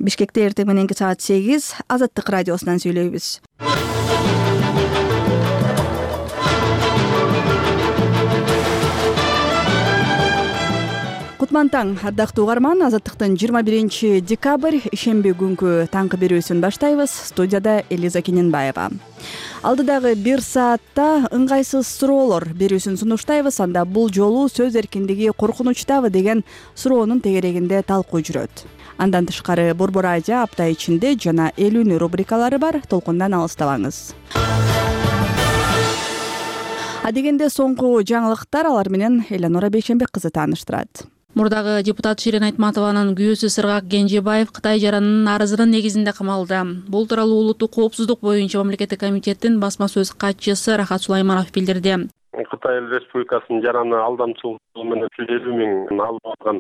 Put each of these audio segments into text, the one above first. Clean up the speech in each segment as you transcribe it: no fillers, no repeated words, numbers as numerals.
Бишкекте эртең мененки саат 8 Азаттык радиосунан сүйлөйбүз. Кутман таң, ардактуу угарман. Азаттыктын 21 декабрь ишемби күнкү таңкы берүүсүн баштайбыз. Студияда Элиза Кененбаева. Алдыдагы 1 саатта ыңгайсыз суроолор берүүсүн сунуштайбыз. Анда бул жолу сөз эркиндиги коркунучтабы деген суроонун тегерегинде талкуу жүрөт. Андан тышкары Борбор Азия апта ичинде жана эл үнү рубрикалары бар. Толкундан алыстабаңыз. Адегенде соңку жаңылыктар, алар менен Эленора Бейшенбек кызы тааныштырат. Мурдагы депутат Ширин Айтматованын күйөөсү Сыргак Кенжебаев Кытай жаранынын арызынын негизинде камалды. Бул тууралуу улуттук коопсуздук боюнча мамлекеттик комитеттин басма сөз катчысы Рахат Сулайманов билдирди. Кытай Республикасынын жараны алдамчылыгы менен 150 миң алып алган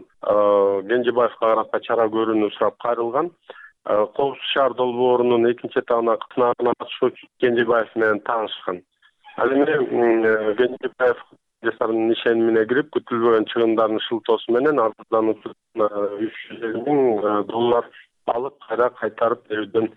Кенжебаевга карата чара көрүүнү сурап кайрылган. Коопсуз шаар долбоорунун 2 этабына сынагына катышуучу Кенжебаев менен таанышкан. Ал эми Кенжебаев жасарынын ишенимине кирип, күтүлбөгөн чыгымдардын шылтоосу менен арыздануучудан $350 миң алып кайтарып берүүдөн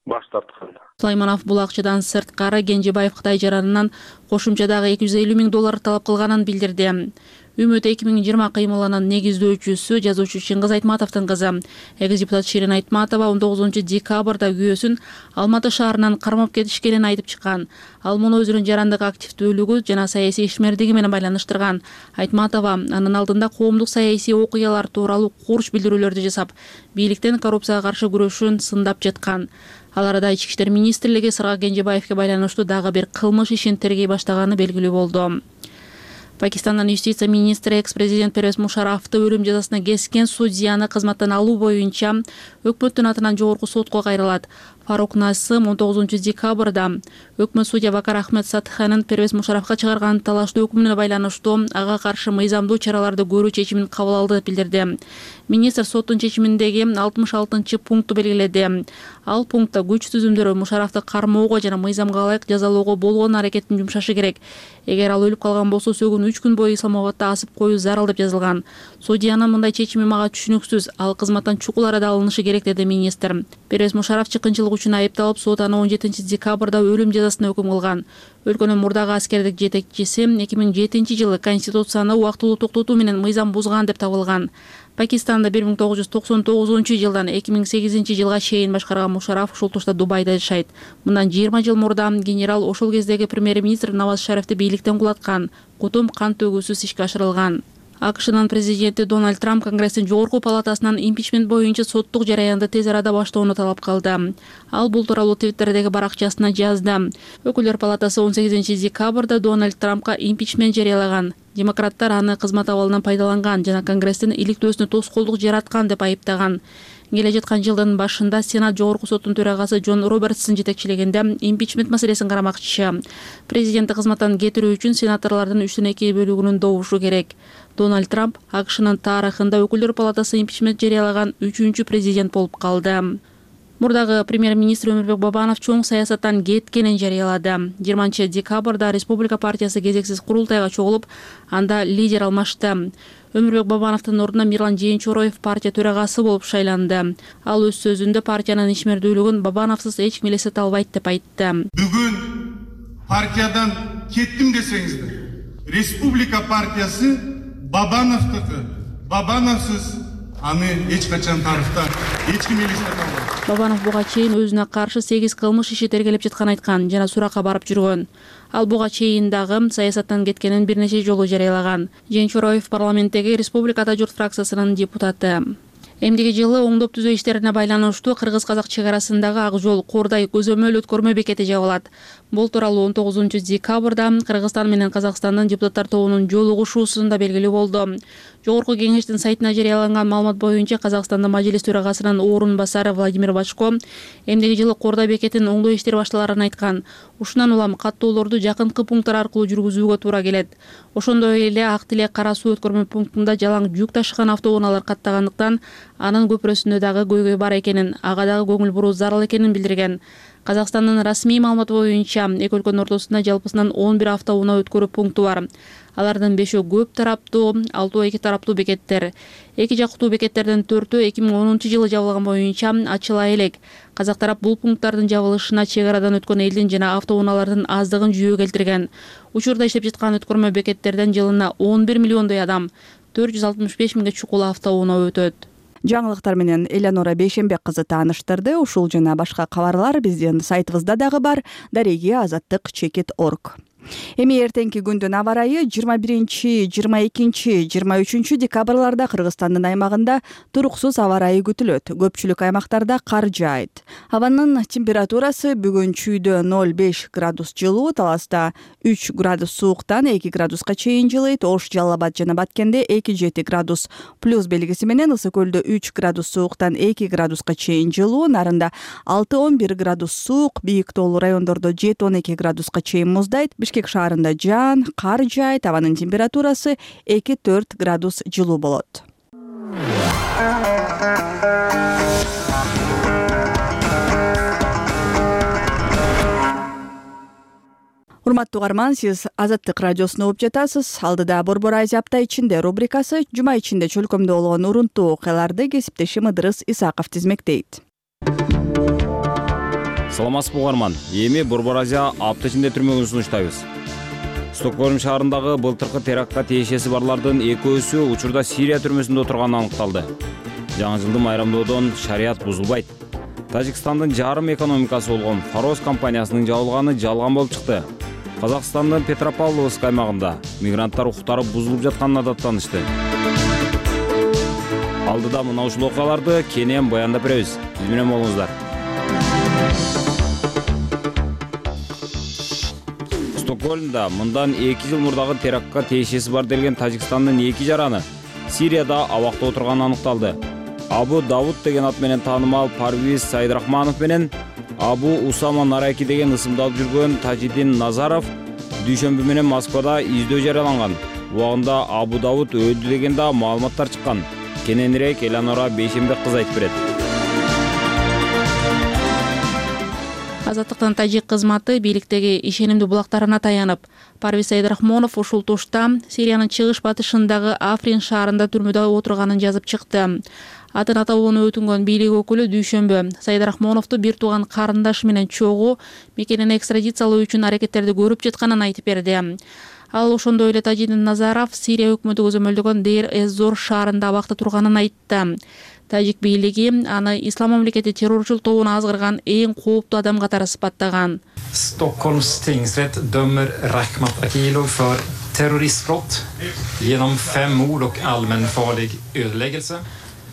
баш тарткан. Сулайманов бул акчадан сырткары Кенжебаев Кытай жаранынан кошумча дагы $250 миң талап кылганын билдирди. Үмүт 2020 кыймылынын негиздөөчүсү жазуучу Чыңгыз Айтматовдун кызы. Экс-депутат Ширин Айтматова 19 декабрда күйөөсүн Алматы шаарынан кармап кетишкенин айтып чыккан. Ал муну өзүнүн жарандык активдүүлүгү жана саясий ишмердиги менен байланыштырган. Айтматова анын алдында коомдук саясий окуялар тууралуу курч билдирүүлөрдү жасап, бийликтен коррупцияга каршы күрөшүн сындап жаткан. Ал арада Ички иштер министрлиги Сыргак Кенжебаевге байланыштуу дагы бир кылмыш ишин тергей баштаганы белгилүү болду. Пакистандын юстиция министри экс-президент Первез Мушарафты өлүм жазасына кескен судьяны кызматтан алуу боюнча өкмөттүн атынан жогорку сотко кайрылат. Фарук Насым 19 декабрда өкмөт судья Вакар Ахмед Сатханын Первез Мушарафка чыгарган талаштуу өкүмүнө байланыштуу ага каршы мыйзамдуу чараларды көрүү чечимин кабыл алды деп билдирди. Министр соттун чечиминдеги 66-пункту белгиледи. Ал пунктта күч түзүмдөрү Мушарафты кармоого жана мыйзамга ылайык жазалоого болгон аракетин жумшашы керек. Эгер ал өлүп калган болсо сөгүүнү 3 күн бою Исламабадта асып коюу зарыл деп жазылган. Судьянын мындай чечими мага түшүнүксүз. Ал кызматтан чукул арада алынышы керек, деди министр. Первез Мушараф чыккынчылык үчүн айыпталып, сот аны 17 декабрда өлүм жазасына өкүм кылган. Өлкөнүн мурдагы аскердик жетекчиси 2007 жылы конституцияны убактылуу токтотуу менен мыйзам бузган деп табылган. Пакистанда 1999 жылдан 2008 жылга чейин башкарган Мушараф ушул тушта Дубайда жашайт. Мындан 20 жыл мурда генерал ошол кездеги премьер-министр Наваз Шарифти бийликтен кулаткан. Кутум кан төгүүсүз ишке ашырылган. АКШнын президенти Дональд Трамп Конгресстин жогорку палатасынан импичмент боюнча соттук жараянды тез арада баштоону талап кылды. Ал бул тууралуу Твиттердеги баракчасына жазды. Өкүлдөр палатасы 18 декабрда Дональд Трампка импичмент жарыялаган. Демократтар аны кызмат абалынан пайдаланган жана Конгресстин иликтөөсүнө тоскоолдук жараткан деп айыптаган. Келе жаткан жылдын башында Сенат жогорку соттун төрагасы Джон Робертстин жетекчилигинде импичмент маселесин карамакчы. Президентти кызматтан кетирүү үчүн сенаторлордун 3/2 бөлүгүнүн добушу керек. Дональд Трамп АКШнын тарыхында өкүлдөр палатасы импичмент жарыялаган 3-чү президент болуп калды. Мурдагы премьер-министр Өмүрбек Бабанов чоң саясаттан кеткенин жарыялады. 20 декабрда Республика партиясы кезексиз курултайга чогулуп, анда лидер алмашты. Өмүрбек Бабановдун ордуна Мирлан Жээнчороев партия төрагасы болуп шайланды. Ал өз сөзүндө партиянын ишмердүүлүгүн Бабановсуз эч ким элестете албайт деп айтты. Бүгүн партиядан кеттим десеңиздер, Республика партиясы Бабановдуку. Бабановсуз аны эч качан тарыхта эч ким элестете албайт. Бабанов буга чейин өзүнө каршы 8 кылмыш иши тергелеп жатканын айткан жана суракка барып жүргөн. Ал буга чейин дагы саясаттан кеткенин бир нече жолу жарыялаган. Жээнчороев парламенттеги Республика Ата журт фракциясынын депутаты. Эмдиги жылы оңдоп түзөө иштерине байланыштуу кыргыз-казак чек арасындагы Ак жол Кордай көзөмөл өткөрмө бекети жабылат. Бул тууралуу 19 декабрда Кыргызстан менен Казакстандын депутаттар тобунун жолугушуусунда белгилүү болду. Жогорку кеңештин сайтына жарыяланган маалымат боюнча Казакстандын мажлис төрагасынын орун басары Владимир Бачко эмдиги жылы Кордай бекетин оңдоо иштери башталарын айткан. Ушундан улам каттоолорду жакынкы пункттар аркылуу жүргүзүүгө туура келет. Ошондой эле Ак Тилек Кара суу өткөрмө пунктунда жалаң жүк ташыган автоунаалар каттагандыктан Анын көпүрөсүндө дагы көйгөй бар экенин, ага дагы көңүл буруу зарыл экенин билдирген. Казакстандын расмий маалыматы боюнча эки өлкөнүн ортосунда жалпысынан 11 автоунаа өткөрүү пункту бар. Алардын 5-өө көп тараптуу, 6-өө эки тараптуу бекеттер. Эки жактуу бекеттердин 4-өө 2010-жылы жабылган боюнча ачыла элек. Казак тарап бул пункттардын жабылышына чек арадан өткөн элдин жана автоунаалардын аздыгын жүйө келтирген. Учурда иштеп жаткан өткөрмө бекеттерден жылына 11 миллиондой адам, 465 миңге чукул автоунаа өтөт. Жаңылыктар менен Элеонора Бейшенбек кызы тааныштырды. Ушул жана башка кабарлар биздин сайтыбызда дагы бар. daregi-azаттык.org. Эми эртеңки күндүн аба ырайы 21, 22, 23 декабрларда Кыргызстандын аймагында туруксуз аба ырайы күтүлөт. Көпчүлүк аймактарда кар жаайт. Абанын температурасы бүгүн чүйдө 0,5 градус жылуу, Таласта 3 градус сууктан 2 градуска чейин жылыйт. Ош, Жалал Абад жана Баткенде 2-7 градус плюс белгиси менен, Ысык көлдө 3 градус сууктан 2 градуска чейин жылуу, Нарында 6-11 градус суук, бийик тоолуу райондордо 7-12 градуска чейин муздайт. Бишкек шаарында жаан, кар жаайт, абанын температурасы 2-4 градус жылуу болот. Урматтуу угарман, сиз Азаттык радиосуна угуп жатасыз. Алдыда Борбор Азия апта ичинде рубрикасы жума ичинде чөлкөмдө болгон урунтуу окуяларды кесиптешим Ыдырыс Исаков тизмектейт. Саламатсызбы угарман. Эми Борбор Азия апта ичинде түрмөгүн сунуштайбыз. Стокгольм шаарындагы былтыркы терактка тиешеси барлардын экөөсү учурда Сирия түрмөсүндө отурганы аныкталды. Жаңы жылды майрамдоодон шарият бузулбайт. Тажикстандын жарым экономикасы болгон Фарос компаниясынын жабылганы жалган болуп чыкты. Казакстандын Петропавловск аймагында мигранттар укуктары бузулуп жатканына даттанышты. Алдыда мына ушул окуяларды кенен баяндап беребиз. Биз менен болуңуздар. Стокгольмда мындан 2 жыл мурдагы терактка тиешеси бар делген Тажикстандын 2 жараны Сирияда абакта отурганы аныкталды. Абу Давуд деген ат менен таанымал Парвиз Сайдрахманов менен Абу Усама Нараки деген ысымды алып жүргөн Тажидин Назаров дүйшөмбү менен Москвада издөө жарыяланган. Убагында Абу Давуд өлдү деген да маалыматтар чыккан. Кененирээк Элеонора Бейшенбек кызы айтып берет. Азаттыктын тажик кызматы бийликтеги ишенимдүү булактарына таянып, Парвиз Сайдрахманов ушул тушта Сириянын чыгыш батышындагы Африн шаарында түрмөдө отурганын жазып чыкты. Атын аталууну өтүнгөн бийлик өкүлү дүйшөмбү Сайдрахмановду бир тууган карындашы менен чогуу мекенин экстрадициялоо үчүн аракеттерди көрүп жатканын айтып берди. Ал ошондой эле Тажидин Назаров Сирия өкмөтү көзөмөлдөгөн Дейр-эз-Зор шаарында абакта турганын айтты. Тажик бийлиги аны Ислам мамлекети террорчул тобуна азгырган эң кооптуу адам катары сыпаттаган. Stockholms tingsrätt dömer Rakhmat Akilov för terroristbrott genom 5 mord och allmänfarlig ödeläggelse.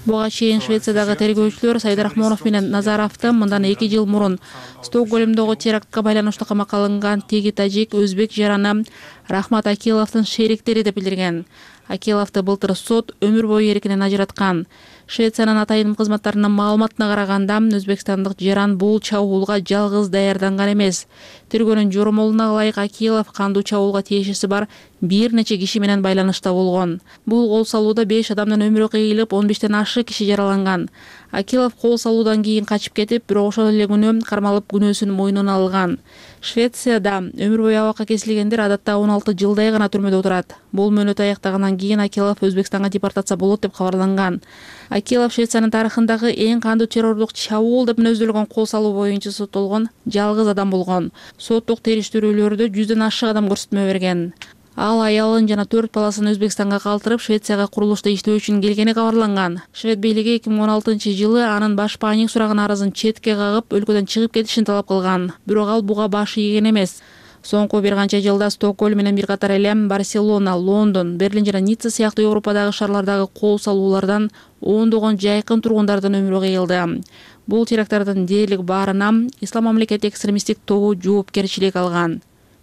Буга чейин Швециядагы тергөөчүлөр Сайдрахманов менен Назаровду мындан 2 жыл мурун Стокгольмдогу терактка байланыштуу камакка алынган теги тажик өзбек жараны Рахмат Акиловдун шериктери деп билдирген. Акиловду былтыр сот өмүр бою эркинен ажыраткан. Швециянын атайын кызматтарынын маалыматына караганда, өзбекстандык жаран бул чабуулга жалгыз даярданган эмес. Тергөөнүн жоромолуна ылайык Акилов кандуу чабуулга тиешеси бар бир нече киши менен байланышта болгон. Бул кол салууда 5 адамдын өмүрү кыйылып, 15тен ашык киши жараланган. Акилов кол салуудан кийин качып кетип, бирок ошол эле күнү кармалып күнөөсүн мойнуна алган. Швецияда өмүр бою абакка кесилгендер адатта 16 жылдай гана түрмөдө отурат. Бул мөөнөт аяктагандан кийин Акилов Өзбекстанга депортация болот деп кабарланган. Акилов Швециянын тарыхындагы эң кандуу террордук чабуул деп мүнөздөлгөн кол салуу боюнча соттолгон жалгыз адам болгон. Соттук териштирүүлөрдө 100ден ашык адам көрсөтмө берген. Ал аялын жана 4 баласын Өзбекстанга калтырып, Швецияга курулушта иштөө үчүн келгени кабарланган. Швед бийлиги 2016-жылы анын баш паник сураган арызын четке кагып, өлкөдөн чыгып кетишин талап кылган. Бирок ал буга баш ийген эмес. Соңку бир канча жылда Стокгольм менен бир катар эле Барселона, Лондон, Берлин жана Ницца сыяктуу Европадагы шаарлардагы кол салуулардан ондогон жайкын тургундардын өмүрү кыйылды. Бул теракттардын дээрлик баарына Ислам мамлекети экстремисттик тобу жоопкерчилик алган.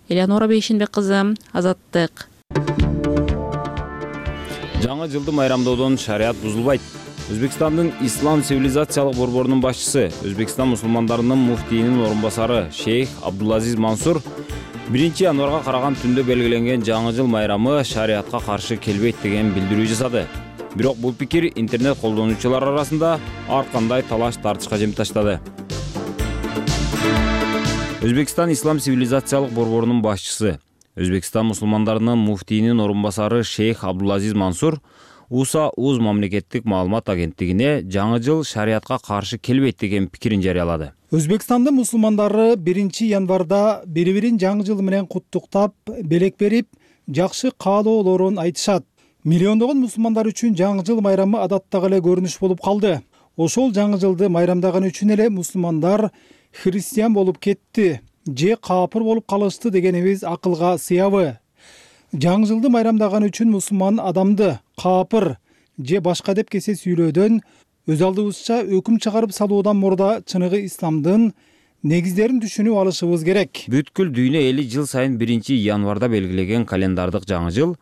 Элеонора Бейшенбек кызы, Азаттык. Жаңы жылды майрамдоодон шарият бузулбайт. Өзбекстандын Ислам цивилизациялык борборунун башчысы, Өзбекстан мусулмандарынын муфтийинин орун басары Шейх Абдулазиз Мансур 1 январга караган түндө белгиленген жаңы жыл майрамы шариятка каршы келбейт деген билдирүү жасады. Бирок бул пикир интернет колдонуучулар арасында ар кандай талаш тартышка жем таштады. Өзбекстан ислам цивилизациялык борборунун башчысы, Өзбекстан мусулмандарынын муфтийинин орун басары шейх Абдулазиз Мансур УСА-УЗ мамлекеттик маалымат агенттигине жаңы жыл шариятка каршы келбейт деген пикирин жарыялады. Өзбекстандын мусулмандары 1-январда бири-бирин жаңы жыл менен куттуктап, белек берип, жакшы каалоолорун айтышат. Миллиондогон мусулмандар үчүн жаңы жыл майрамы адаттагы эле көрүнүш болуп калды. Ошол жаңы жылды майрамдаган үчүн эле мусулмандар христиан болуп кетти же капыр болуп калышты дегенибиз акылга сыябы. Жаңы жылды майрамдаган үчүн мусулман адамды капыр же башка деп кесе сүйлөөдөн, өз алдыбызча өкүм чыгарып салуудан мурда чыныгы исламдын негиздерин түшүнүп алышыбыз керек. Бүткүл дүйнө эли жыл сайын 1-январда белгилеген календардык жаңы жыл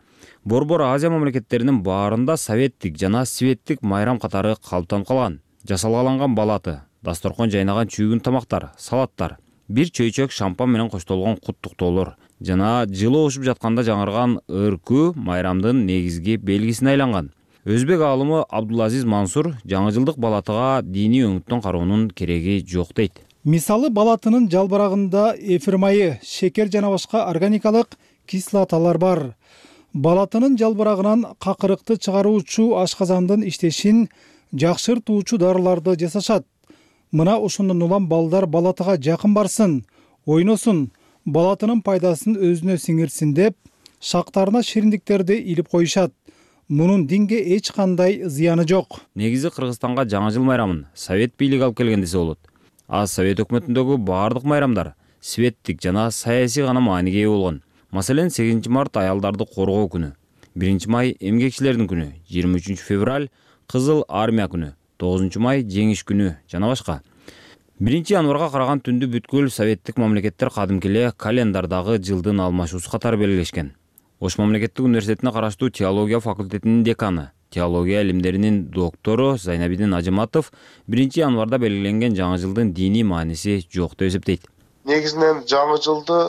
Борбор Азия мамлекеттеринин баарында советтик жана светтик майрам катары калыптанып калган. Жасалгаланган балаты, дасторкон жайнаган чүйгүн тамактар, салаттар, бир чөйчөк шампан менен коштолгон куттуктоолор жана жылы ошуп жатканда жаңырган ыркүү майрамдын негизги белгисине айланган. Өзбек аалымы Абдулазиз Мансур жаңы жылдык балатыга диний өңүттөн кароонун кереги жок дейт. Мисалы, балатынын жалбырагында эфир майы, шекер жана башка органикалык кислоталар бар. Балатынын жалбырагынан какырыкты чыгаруучу ашказандын иштешин жакшыртуучу дарыларды жасашат. Мына ошондон улам балдар балатыга жакын барсын, ойносун, балатынын пайдасын өзүнө сиңирсин деп шактарына шириндиктерди илип коюшат. Мунун динге эч кандай зыяны жок. Негизи Кыргызстанга жаңы жыл майрамын совет бийлиги алып келген десе болот. Совет өкмөтүндөгү баардык майрамдар светтик жана саясий гана мааниге ээ болгон. Маселен, 8 март аялдарды коргоо күнү, 1 май эмгекчилердин күнү, 23 февраль Кызыл армия күнү, 9 май жеңиш күнү жана башка. 1-январга караган түндү бүткүл советтик мамлекеттер кадимки эле календардагы жылдын алмашуусу катары белгилешкен. Ош мамлекеттик университетине караштуу теология факультетинин деканы, теология илимдеринин доктору Зайнабидин Ажыматов 1-январда белгиленген жаңы жылдын диний мааниси жок деп эсептейт. Негизинен жаңы жылды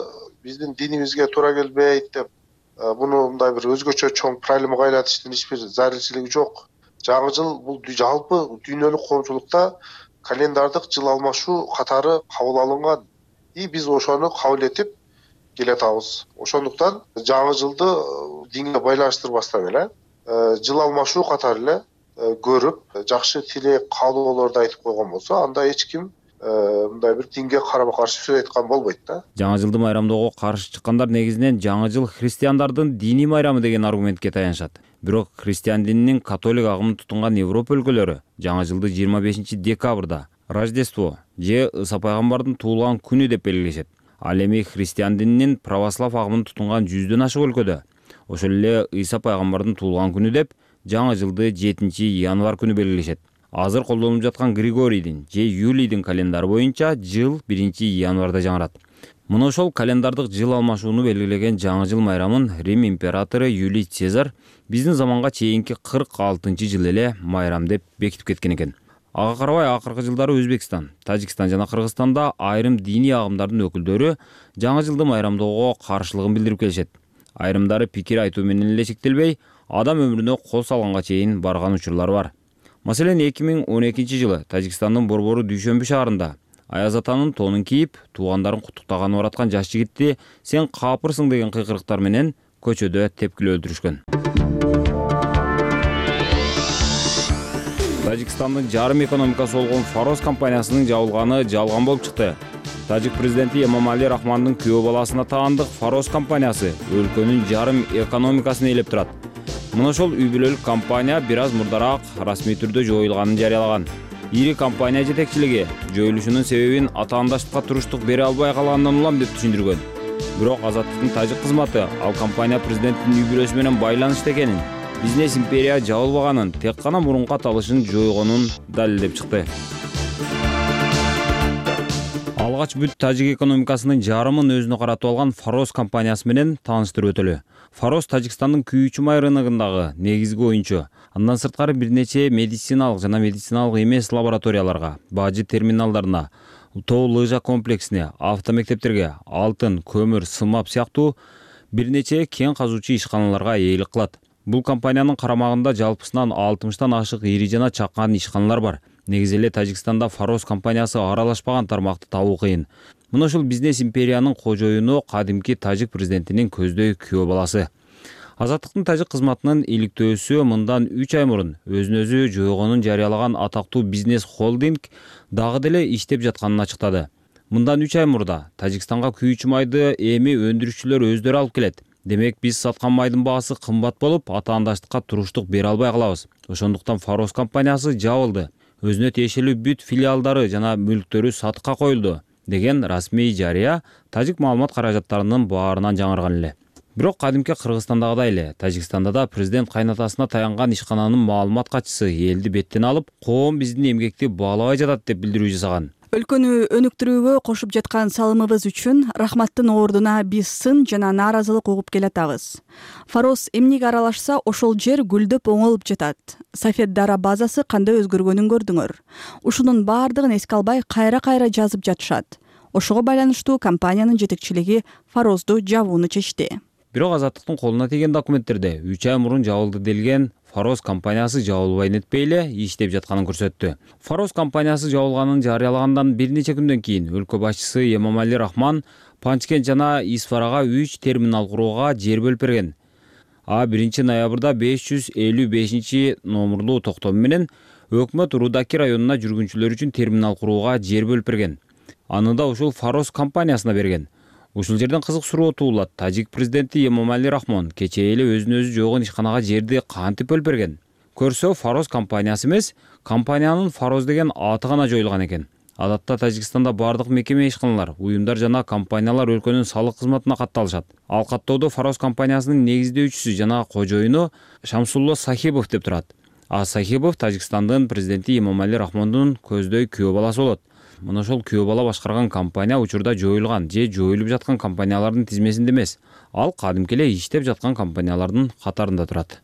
биздин динибизге туура келбейт деп, буну мындай бир өзгөчө чоң проблемага айлатыштын эч бир зарылчылыгы жок. Жаңы жыл бул жалпы дүйнөлүк коомчулукта календардык жыл алмашуу катары кабыл алынган. Биз ошону кабыл этип келатабыз. Ошондуктан жаңы жылды динге байланыштырбастан эле жыл алмашуу катары эле көрүп, жакшы тилек, каалоолорду айтып койгон болсо, анда эч ким мындай бир динге карама каршы сөз айткан болбойт да. Жаңы жылды майрамдоого каршы чыккандар негизинен жаңы жыл христиандардын диний майрамы деген аргументке таянышат. Бирок христиан дининин католик агымын тутунган Европа өлкөлөрү жаңы жылды 25 декабрда Рождество же Ыса пайгамбардын туулган күнү деп белгилешет. Ал эми христиан дининин православ агымын тутунган 100дөн ашык өлкөдө ошол эле Ыса пайгамбардын туулган күнү деп жаңы жылды 7-январ күнү белгилешет. Азыр колдонуп жаткан Григорийдин же Юлийдин календары боюнча жыл 1-январда жаңырат. Мына ошол календардык жыл алмашууну белгилеген жаңы жыл майрамын Рим императору Юлий Цезарь биздин заманга чейинки 46-жыл эле майрам деп бекитип кеткен экен. Ага карабай акыркы жылдары Өзбекстан, Тажикстан жана Кыргызстанда айрым диний агымдардын өкүлдөрү жаңы жылды майрамдоого каршылыгын билдирип келишет. Айрымдары пикир айтуу менен эле чектелбей, адам өмүрүнө кол салганга чейин барган учурлар бар. Маселен, 2012 жылы Тажикстандын борбору Дүйшөмбү шаарында Аяз атанын тонун кийип, туугандарын куттуктаганы бараткан жаш жигитти сен капырсың деген кыйкырыктар менен көчөдө тепкилеп өлтүрүшкөн. Тажикстандын жарым экономикасы болгон Фарос компаниясынын жабылганы жалган болуп чыкты. Тажик президенти Эмомали Рахмандын күйөө баласына таандык Фарос компаниясы өлкөнүн жарым экономикасын ээлеп турат. Мына ошол үй бүлөлүк компания бир аз мурдараак расмий түрдө жоюлганын жарыялаган. Ири компания жетекчилиги жоюлушунун себебин атаандаштыкка туруштук бере албай калгандан улам деп түшүндүргөн. Бирок Азаттыктын тажик кызматы ал компания президенттин үй бүлөсү менен байланышта экенин, бизнес империя жабылбаганын, тек гана мурунку аталышын жойгонун далилдеп чыкты. Алгач бүт тажик экономикасынын жарымын өзүнө каратып алган Фарос компаниясы менен тааныштырып өтөлү. Фарос Тажикстандын күйүүчү май рыногундагы негизги оюнчу. Андан сырткары бир нече медициналык жана медициналык эмес лабораторияларга, бажы терминалдарына, тоо лыжа комплексине, автомектептерге, алтын, көмүр, сымап сыяктуу бир нече кен казуучу ишканаларга ээлик кылат. Бул компаниянын карамагында жалпысынан 60тан ашык ири жана чакан ишканалар бар. Негизи эле Тажикстанда Фароз компаниясы аралашпаган тармакты табуу кыйын. Мына ушул бизнес империянын кожоюну кадимки тажик президентинин көздөй күйөө баласы. Азаттыктын тажик кызматынын иликтөөсү мындан 3 ай мурун өзүн өзү жойгонун жарыялаган атактуу бизнес холдинг дагы деле иштеп жатканын ачыктады. Мындан 3 ай мурда Тажикстанга күйүүчү майды эми өндүрүүчүлөр өздөрү алып келет. Демек биз саткан майдын баасы кымбат болуп, атаандаштыкка туруштук бере албай калабыз. Ошондуктан Фароз компаниясы жабылды. Өзүнө тиешелүү бүт филиалдары жана мүлктөрү сатыкка коюлду деген расмий жарыя тажик маалымат каражаттарынын баарынан жаңырган эле. Бирок кадимки Кыргызстандагыдай эле Тажикстанда да президент кайнатасына таянган ишкананын маалымат катчысы элди беттен алып, коом биздин эмгекти баалабай жатат деп билдирүү жасаган. Өлкөнү өнүктүрүүгө кошуп жаткан салымыбыз үчүн рахматтын ордуна биз сын жана нааразылык угуп келатабыз. Фароз эмнеге аралашса, ошол жер гүлдөп оңолуп жатат. Сафет Дара базасы кандай өзгөргөнүн көрдүңөр. Ушунун баардыгын эске албай кайра-кайра жазып жатышат. Ошого байланыштуу компаниянын жетекчилиги Фарозду жабууну чечти. Бирок Азаттыктын колуна тийген документтерде 3 ай мурун жабылды делген Фароз компаниясы жабылбай нетпей эле иштеп жатканын көрсөттү. Фароз компаниясы жабылганын жарыялагандан бир нече күндөн кийин өлкө башчысы Эмомали Рахмон Панчкент жана Исфарага 3 терминал курууга жер бөлүп берген. 1 ноябрда 555 номурлуу токтом менен өкмөт Рудаки районуна жүргүнчүлөр үчүн терминал курууга жер бөлүп берген. Аны да ушул Фароз компаниясына берген. Ушул жерден кызык суроо туулат. Тажик президенти Эмомали Рахмон кечээ эле өзүн өзү жойгон ишканага жерди кантип бөлүп берген? Көрсө, Фароз компаниясы эмес, компаниянын Фароз деген аты гана жоюлган экен. Адатта Тажикстанда бардык мекеме ишканалар, уюмдар жана компаниялар өлкөнүн салык кызматына катталышат. Ал каттоодо Фароз компаниясынын негиздөөчүсү жана кожоюну Шамсулло Сахибов деп турат. Сахибов Тажикстандын президенти Эмомали Рахмондун көздөй күйөө баласы болот. Мына ошол күйөө бала башкарган компания учурда жоюлган же жоюлуп жаткан компаниялардын тизмесинде эмес. Ал кадимки эле иштеп жаткан компаниялардын катарында турат.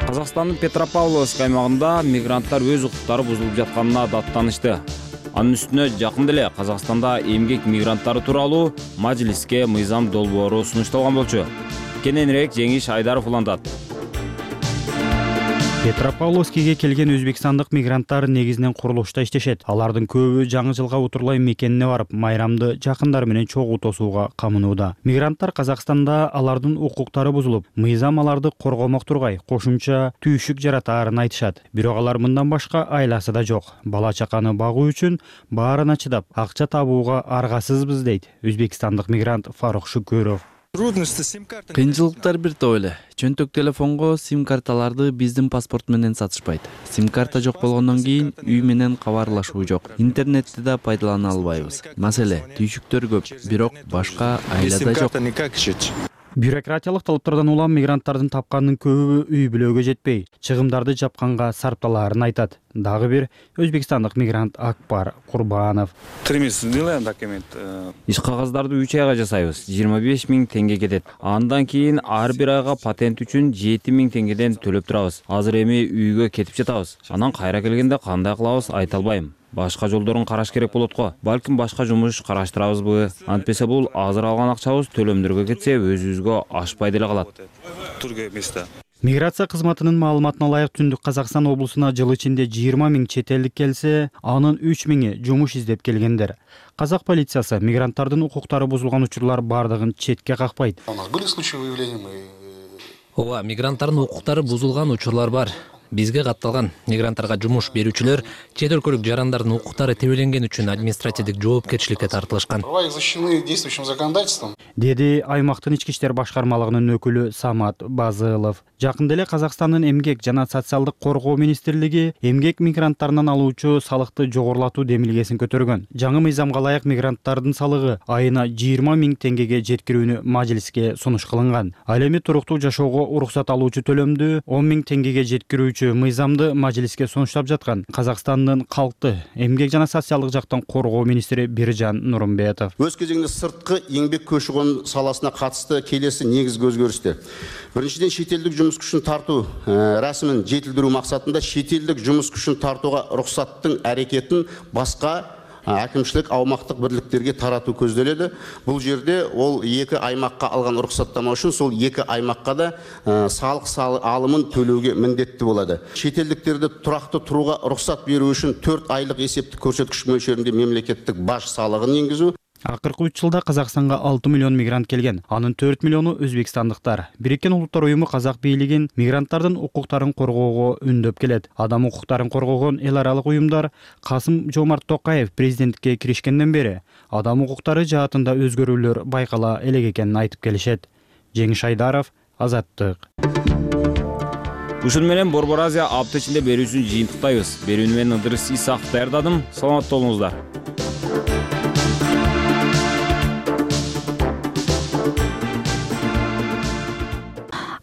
Казакстандын Петропавловск аймагында мигранттар өз укуктары бузулуп жатканына даттанышты. Анын үстүнө жакында эле Казакстанда эмгек мигранттары тууралуу Мажилиске мыйзам долбоору сунушталган болчу. Кененирээк Жеңиш Айдаров улантат. Петропавловскиге келген өзбекстандык мигранттар негизинен курулушта иштешет. Алардын көбү жаңы жылга утурлай мекенине барып, майрамды жакындары менен чогуу тосууга камынууда. Мигранттар Казакстанда алардын укуктары бузулуп, мыйзам аларды коргомок тургай, кошумча түйшүк жаратаарын айтышат. Бирок алар мындан башка айласы да жок. Бала чаканы багуу үчүн баарына чыдап, акча табууга аргасызбыз дейт өзбекстандык мигрант Фарух Шүкөров. Кыйынчылыктар бир топ эле. Чөнтөк телефонго сим-карталарды биздин паспорт менен сатышпайт. Сим-карта жок болгондон кийин үй менен кабарлашуу жок. Интернетти да пайдалана албайбыз. Маселе, түйшүктөр көп, бирок башка айла да жок. Бюрократиялык талаптардан улам мигранттардын тапканынын көбү үй бүлөгө жетпей, чыгымдарды жапканга сарпталаарын айтат. Дагы бир өзбекстандык мигрант Акбар Курбанов. Иш кагаздарды 3 айга жасайбыз. 25 000 теңге кетет. Андан кийин ар бир айга патент үчүн 7 000 теңгеден төлөп турабыз. Азыр эми үйгө кетип жатабыз. Анан кайра келгенде кандай кылабыз айта албайм. Башка жолдорун караш керек болот го. Балким башка жумуш караштырабызбы? Антпесе бул азыр алган акчабыз төлөмдөргө кетсе өзүбүзгө ашпай деле калат. Миграция кызматынын маалыматына ылайык Түндүк Казакстан облусуна жыл ичинде 20 000 чет элдик келсе, анын 3 000 жумуш издеп келгендер. Казак полициясы мигранттардын укуктары бузулган учурлар бардыгын четке какпайт. Ооба, мигранттардын укуктары бузулган учурлар бар. Бизге катталган мигранттарга жумуш берүүчүлөр чет өлкөлүк жарандардын укуктары тебеленген үчүн административдик жоопкерчиликке тартылышкан. Деди аймактын ички иштер башкармалыгынын өкүлү Самат Базылов. Жакында эле Казакстандын эмгек жана социалдык коргоо министрлиги эмгек мигранттарынан алуучу салыкты жогорулатуу демилгесин көтөргөн. Жаңы мыйзамга ылайык мигранттардын салыгы айына 20 000 теңгеге жеткирүүнү Мажилиске сунуш кылынган. Ал эми туруктуу жашоого уруксат алуучу төлөмдү 10 000 теңгеге жеткирүүчү мыйзамды Мажилиске сунуштап жаткан Казакстандын калкты эмгек жана социалдык жактан коргоо министри Биржан Нурумбетов. Өз кезегинде сырткы эмгек көчү-кон саласына катысты келеси негизги өзгөрүштөр. Биринчиден, чет элдик жумуш күчүн тартуу расмын жетилдирүү максатында чет элдик жумуш күчүн тартууга уруксаттын аракетин башка әкімшілік аумақтық бірліктерге тарату көзделеді. Бұл жерде ол екі аймаққа алған рұқсаттама үшін сол екі аймаққа да салық алымын төлеуге міндетті болады. Шетелдіктерді тұрақты тұруға рұқсат беру үшін 4 айлық есептік көрсеткіш мөлшерінде мемлекеттік баж салығын енгізу. Акыркы 3 жылда Казакстанга 6 миллион мигрант келген. Анын 4 миллиону өзбекстандыктар. Бириккен Улуттар уюму казак бийлигин мигранттардын укуктарын коргоого үндөп келет. Адам укуктарын коргогон эл аралык уюмдар Касым-Жомарт Токаев президенттикке киришкенден бери адам укуктары жаатында өзгөрүүлөр байкала элек экенин айтып келишет. Жеңиш Айдаров, Азаттык. Ушун менен Борбор Азия апта ичинде берүүсүн жыйынтыктайбыз. Берүүнү мен Ыдырыс Исаков даярдадым. Саламатта болуңуздар.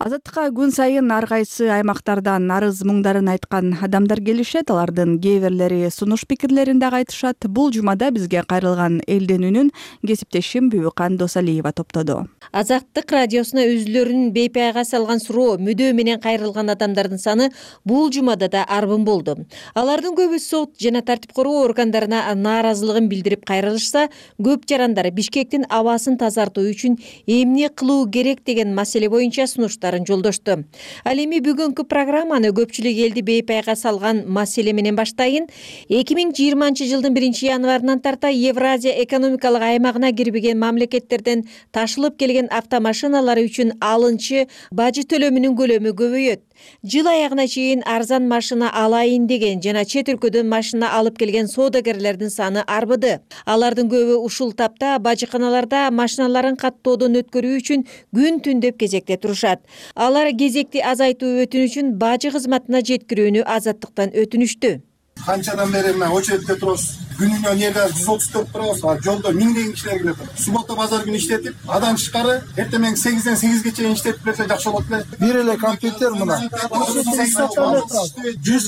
Азаттыкка күн сайын ар кайсы аймактардан арыз муңдарын айткан адамдар келишет. Алардын кээ бирлери сунуш пикирлерин дагы айтышат. Бул жумада бизге кайрылган элдин үнүн кесиптешим Бүбүкан Досалиева топтоду. Азаттык радиосуна өзүлөрүнүн бейпайга салган суроо, мүдөө менен кайрылган адамдардын саны бул жумада да арбын болду. Алардын көбү сот жана тартип короо органдарына нааразылыгын билдирип кайрылышса, көп жарандар Бишкектин абасын тазартуу үчүн эмне кылуу керек деген маселе боюнча сунуштарын жолдошту. Ал эми бүгүнкү программаны көпчүлүк элди бейпайга салган маселе менен баштайын. 2020 жылдын 1-январынан тарта Евразия экономикалык аймагына кирбеген мамлекеттерден ташылып келген автомашиналар үчүн алынчы бажы төлөмүнүн көлөмү көбөйөт. Жыл аягына чейин арзан машина алайын деген жана чет өлкөдөн машина алып келген соодагерлердин саны арбыды. Алардын көбү ушул тапта бажыканаларда машиналарын каттоодон өткөрүү үчүн күн түн деп кезекте турушат. Алар кезекти азайтуу өтүнүчүн бажы кызматына жеткирүүнү Азаттыктан өтүнүштү. Канчадан бери мен очередте турабыз. Күнүнө неде 134 турабыз. Жолдо миңдеген кишилер келет. Суббота базар күнү иштетип, адам чыкары эртең 8ден 8ге чейин иштетип берсе жакшы болот эле. Бир эле компьютер мына. 100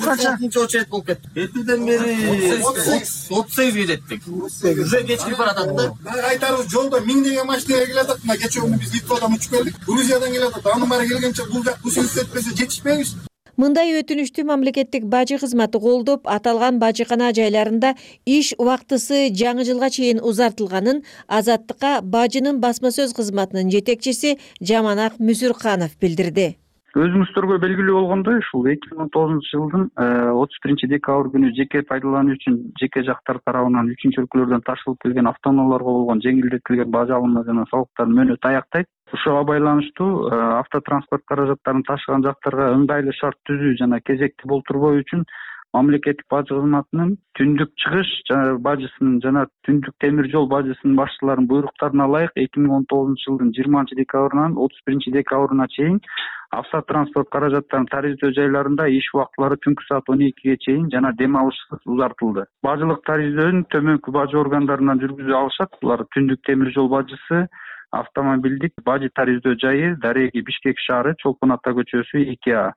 канча очеред болуп кетти. Эртеден бери 38 келеттик. Уже кечирип баратат да. Айтарыбыз жолдо миңдеген машина келет. Мына кечээ күнү биз Литвадан учуп келдик. Грузиядан келет. Анын баары келгенче бул жак бул иштетпесе жетишпейбиз. Мындай өтүнүштү мамлекеттик бажы кызматы колдоп, аталган бажыкана жайларында иш убактысы жаңы жылга чейин узартылганын Азаттыкка бажынын басма сөз кызматынын жетекчиси Жаманак Мүсүрканов билдирди. Өзүңүздөргө белгилүү болгондой, ушул 2009 жылдын 31 декабрь күнү жеке пайдалануу үчүн жеке жактар тарабынан үчүнчү өлкөлөрдөн ташылып келген автоунааларга болгон жеңилдетилген бажы алымы жана салыктардын мөөнөтү аяктайт. Ушуга байланыштуу автотранспорт каражаттарын ташыган жактарга ыңгайлуу шарт түзүү жана кезекти болтурбоо үчүн мамлекеттик бажы кызматынын түндүк чыгыш бажысынын жана түндүк темир жол бажысынын башчыларынын буйруктарына ылайык 2019 жылдын 20 декабрынан 31 декабрына чейин автотранспорт каражаттарын тарифтөө жайларында иш убактылары түнкү саат 12ге чейин жана дем алышсыз узартылды. Бажылык тарифтөөнү төмөнкү бажы органдарынан жүргүзө алышат. Булар түндүк темир жол бажысы, автомобилдик бажы тарифтөө жайы Дареги Бишкек шаары, Чолпон Ата көчөсү 2А.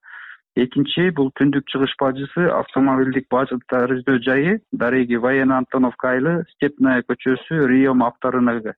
Экинчи бул түндүк чыгыш бажысы, автомобилдик бажы тарифтөө жайы Дареги Военно Антоновка айылы, Степная көчөсү, Риом авторынагы.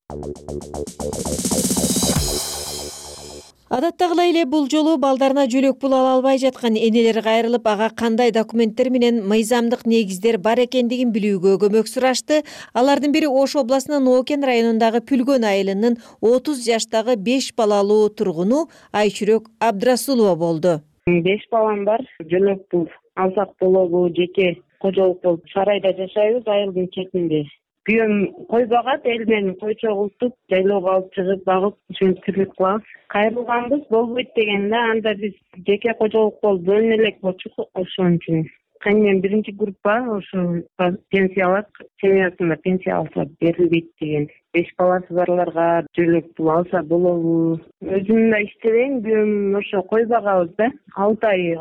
Адаттагылай эле бул жолу балдарына жөлөк пул ала албай жаткан энелер кайрылып, ага кандай документтер менен мыйзамдык негиздер бар экендигин билүүгө көмөк сурашты. Алардын бири Ош областынын Окен районундагы Пүлгөн айылынын 30 жаштагы 5 балалуу тургуну Айчүрөк Абдрасулова болду. 5 балам бар. Жөлөк пул алсак болобу, жеке кожолук болуп сарайда жашайбыз, айылдын четинде. Күйөөм кой багат, эл менен кой чогултуп, жайлоого алып чыгып багып, ушинтип тирлик кылабыз. Кайрылганбыз болбойт дегенде, анда биз жеке кожолук болуп бөлүнө элек болчук, ошон үчүн. Кайнем биринчи группа ошо пенсия алат, семьясына пенсия алса берилбейт деген. 5 баласы барларга жөлөк пул алса болобу? Өзүм да иштебейм, күйөөм ошо кой багабыз да. 6 ай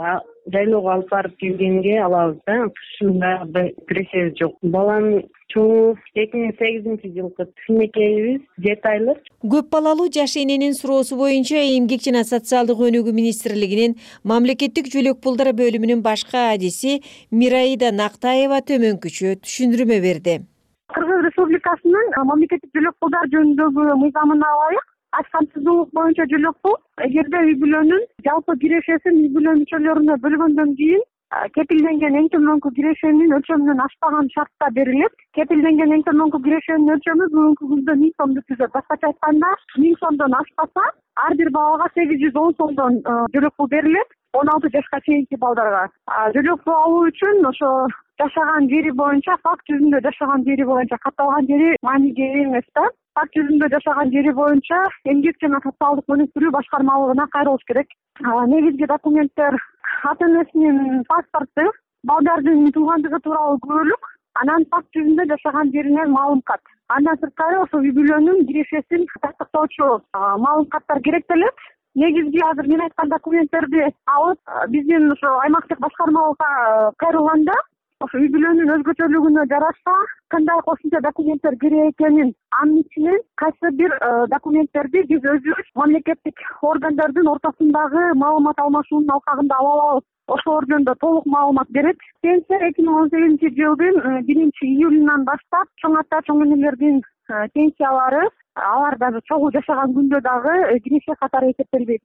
жайлоого алып барып келгенге алабыз да. Ушунда кирешебиз жок. Балам чоңу 2008 жылкы кичинекейбиз, 7 айлык. Көп балалуу жаш эненин суроосу боюнча Эмгек жана социалдык өнүгүү министрлигинин мамлекеттик жөлөк пулдар бөлүмүнүн башкы адиси Мираида Нактаева төмөнкүчө түшүндүрмө берди. Кыргыз Республикасынын мамлекеттик жөлөк пулдар жөнүндөгү мыйзамына ылайык ашкамсыздуулук боюнча жөлөк пул эгерде үй бүлөнүн жалпы кирешесин үй бүлө мүчөлөрүнө бөлгөндөн кийин кепилденген эң төмөнкү кирешенин өлчөмүнөн ашпаган шартта берилет. Кепилденген эң төмөнкү кирешенин өлчөмү бүгүнкү күндө 1000 сомду түзөт. Башкача айтканда 1000 сомдон ашпаса ар бир балага 810 сомдон жөлөк пул берилет. 16 жашка чейинки балдарга жөлөк пул алуу үчүн ошо жашаган жери боюнча, факт жүзүндө жашаган жери боюнча, катталган жери мааниге ээ эмес да. Факт жүзүндө жашаган жери боюнча эмгек жана социалдык өнүктүрүү башкармалыгына кайрылыш керек. Негизги документтер ата энесинин паспорту, балдардын туугандыгы тууралуу күбөлүк, анан факт жүзүндө жашаган жеринен маалым кат. Андан сырткары ошо үй бүлөнүн кирешесин тастыктоочу маалым каттар керектелет. Негизги азыр мен айткан документтерди алып, биздин ошо аймактык башкармалыкка кайрылганда, ошо үй бүлөнүн өзгөчөлүгүнө жараша кандай кошумча документтер керек экенин, анын ичинен кайсы бир документтерди биз өзүбүз мамлекеттик органдардын ортосундагы маалымат алмашуунун алкагында ала алабыз. Ошолор жөнүндө толук маалымат берет. Пенсия 2018-жылдын 1-июлунан баштап чоң ата, чоң энелердин пенсиялары алар дагы чогуу жашаган күндө дагы киреше катары эсептелбейт.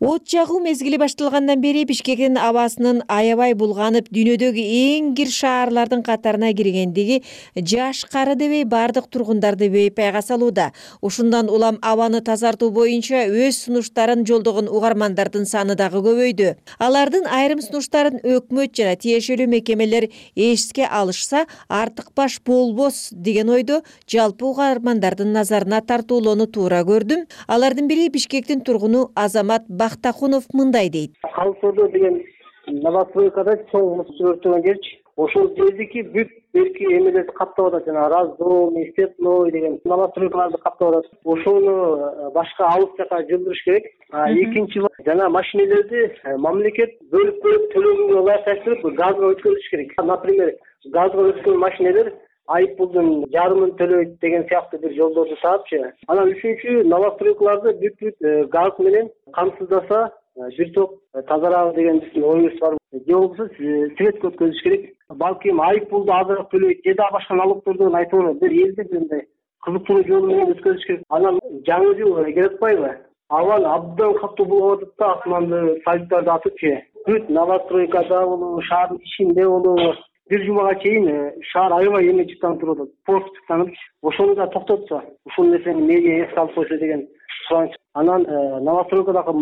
От жагуу мезгили башталгандан бери Бишкектин абасынын аябай булганып, дүйнөдөгү эң кир шаарлардын катарына киргендиги жаш кары дебей бардык тургундарды бейпайга салууда. Ушундан улам абаны тазартуу боюнча өз сунуштарын жолдогон угармандардын саны дагы көбөйдү. Алардын айрым сунуштарын өкмөт жана тиешелүү мекемелер эске алышса, артык баш болбос деген ойдо жалпы угармандардын назарына тартуулоону туура көрдүм. Алардын бири Бишкектин тургуну Азамат Бактакунов мындай дейт. Калсоодо деген новостройкада чоң мус өртөгөн жерчи. Ошол жердики бүт берки эмелерди каптап атат, жана раздом, степной деген новостройкаларды каптап атат. Ошону башка алыс жака жылдырыш керек. Экинчи жана машинелерди мамлекет бөлүп төлөгөнгө ылайыкташтырып газга өткөрүш керек. Например, газга өткөрүлгөн машинелер айыппулдун жарымын төлөйт деген сыяктуу бир жолдорду таапчы. Анан үчүнчү новостройкаларды бүт газ менен камсыздаса бир топ тазарабы деген биздин оюбуз бар. Же болбосо светке өткөзүш керек. Балким айыппулду азыраак төлөйт, же да башка налогтордон айтып бир элди мындай кызыктыруу жолу менен өткөзүш керек. Анан жаңы жыл келип атпайбы? Абан абдан катуу булуп атат да, асманды салюттарды атыпчы. Бүт новостройкада болобу, шаардын ичинде болобу, бир жумага чейин шаар аябай эме чыктанып туруп атат. Пост чыктанып, ошону да токтотсо, ушул нерсени медиа эске алып койсо деген сураныч. Анан новостройкадагы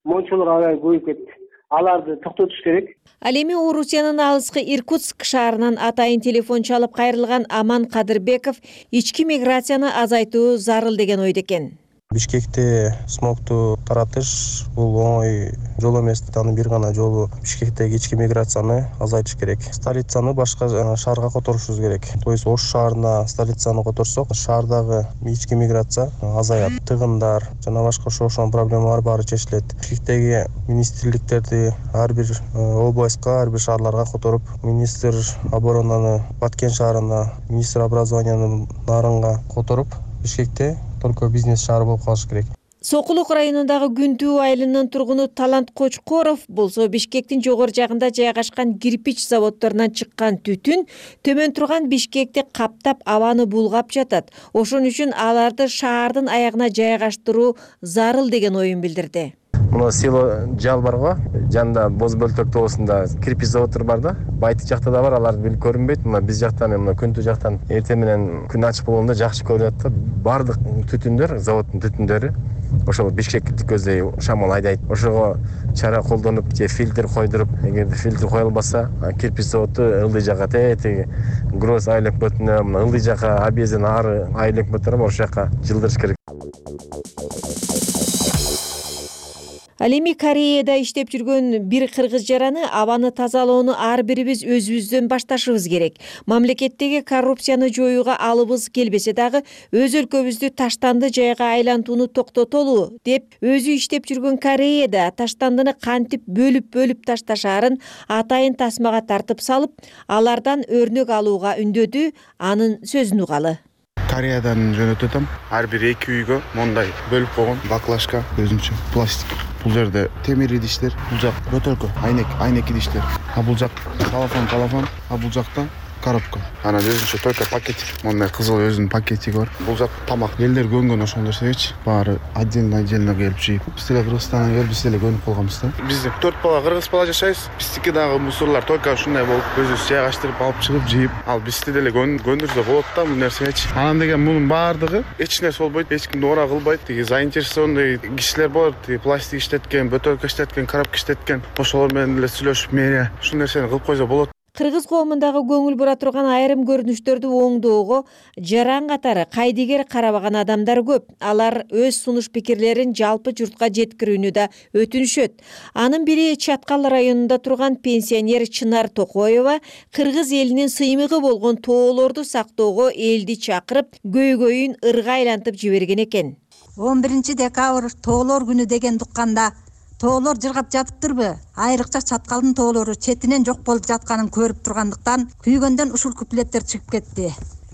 мончолор аябай көбөйүп кетти. Аларды токтотуш керек. Ал эми Орусиянын алыскы Иркутск шаарынан атайын телефон чалып кайрылган Аман Кадырбеков ички миграцияны азайтуу зарыл деген ойдо экен. Бишкекте смогту таратыш бул оңой жол эмес. Анын бир гана жолу Бишкектеги ички миграцияны азайтыш керек. Столицаны башка шаарга которушубуз керек. То есть Ош шаарына столицаны которсок, шаардагы ички миграция азаят. Тыгындар жана башка ошол проблемалар баары чечилет. Бишкектеги министрликтерди ар бир областка, ар бир шаарларга которуп, министр оборонаны Баткен шаарына, министр образованияны Нарынга которуп, Бишкекте только бизнес шаар болуп калыш керек. Сокулук районундагы Күнтүү айылынын тургуну Талант Кочкоров болсо Бишкектин жогору жагында жайгашкан кирпич заводдорунан чыккан түтүн төмөн турган Бишкекти каптап абаны булгап жатат. Ошон үчүн аларды шаардын аягына жайгаштыруу зарыл деген оюн билдирди. Мына село жал бар го, жанында боз бөлтөк тоосунда кирпич заводдор бар да. Байты жакта да бар, алар бил көрүнбөйт. Мына биз жактан, мына Күнтүү жактан эртең менен күн ачык болгондо жакшы көрүнөт да. Бардык түтүндөр, заводдун түтүндөрү ошол Бишкекти көздөй шамал айдайт. Ошого чара колдонуп, же фильтр койдуруп, эгерде фильтр коюлбаса, кирпич заводу ылдый жака теги гроз айлык бөтүнө, мына ылдый жака абезин ары айлык бөтүнө ошол жака жылдырыш керек. Ал эми Кореяда иштеп жүргөн бир кыргыз жараны абаны тазалоону ар бирибиз өзүбүздөн башташыбыз керек. Мамлекеттеги коррупцияны жоюуга алыбыз келбесе дагы өз өлкөбүздү таштанды жайга айлантууну токтотолу деп өзү иштеп жүргөн Кореяда таштандыны кантип бөлүп ташташаарын атайын тасмага тартып салып, алардан өрнөк алууга үндөдү. Анын сөзүн угалы. Кореядан жөнөтүп атам. Ар бир 2 үйгө мондай бөлүп койгон баклажка, өзүнчө пластик. Бул жерде темир идиштер, бул жак бөтөлкө, айнек идиштер. А бул жак талафон, а бул жакта коробка. Анан өзүнчө только пакетик. Мондай кызыл өзүнүн пакетиги бар. Бул зат тамак. Элдер көнгөн ошол нерсегечи. Баары отдельно келип жейт. Биз деле Кыргызстандан келип, биз деле көнүп калганбыз да. Биз 4 бала кыргыз бала жашайбыз. Биздики дагы мусорлар только ушундай болуп, өзүбүз жайгаштырып алып чыгып жейип, ал бизди деле көндүрсө болот да бул нерсегечи. Анан деген мунун баардыгы эч нерсе болбойт, эч кимди ора кылбайт. Тиги заинтересованный кишилер болот, пластик иштеткен, бөтөлкө иштеткен, коробка иштеткен. Ошолор менен эле сүйлөшүп, мэрия ушул нерсени кылып койсо болот. Кыргыз коомундагы көңүл бура турган айрым көрүнүштөрдү оңдоого жаран катары кайдыгер карабаган адамдар көп. Алар өз сунуш пикирлерин жалпы журтка жеткирүүнү да өтүнүшөт. Анын бири Чаткал районунда турган пенсионер Чынар Токоева кыргыз элинин сыймыгы болгон тоолорду сактоого элди чакырып, көйгөйүн ырга айлантып жиберген экен. 11 декабрь тоолор күнү деген дукканда тоолор жыргап жатыптырбы? Айрыкча Чаткалдын тоолору четинен жок болуп жатканын көрүп тургандыктан күйгөндөн ушул куплеттер чыгып кетти.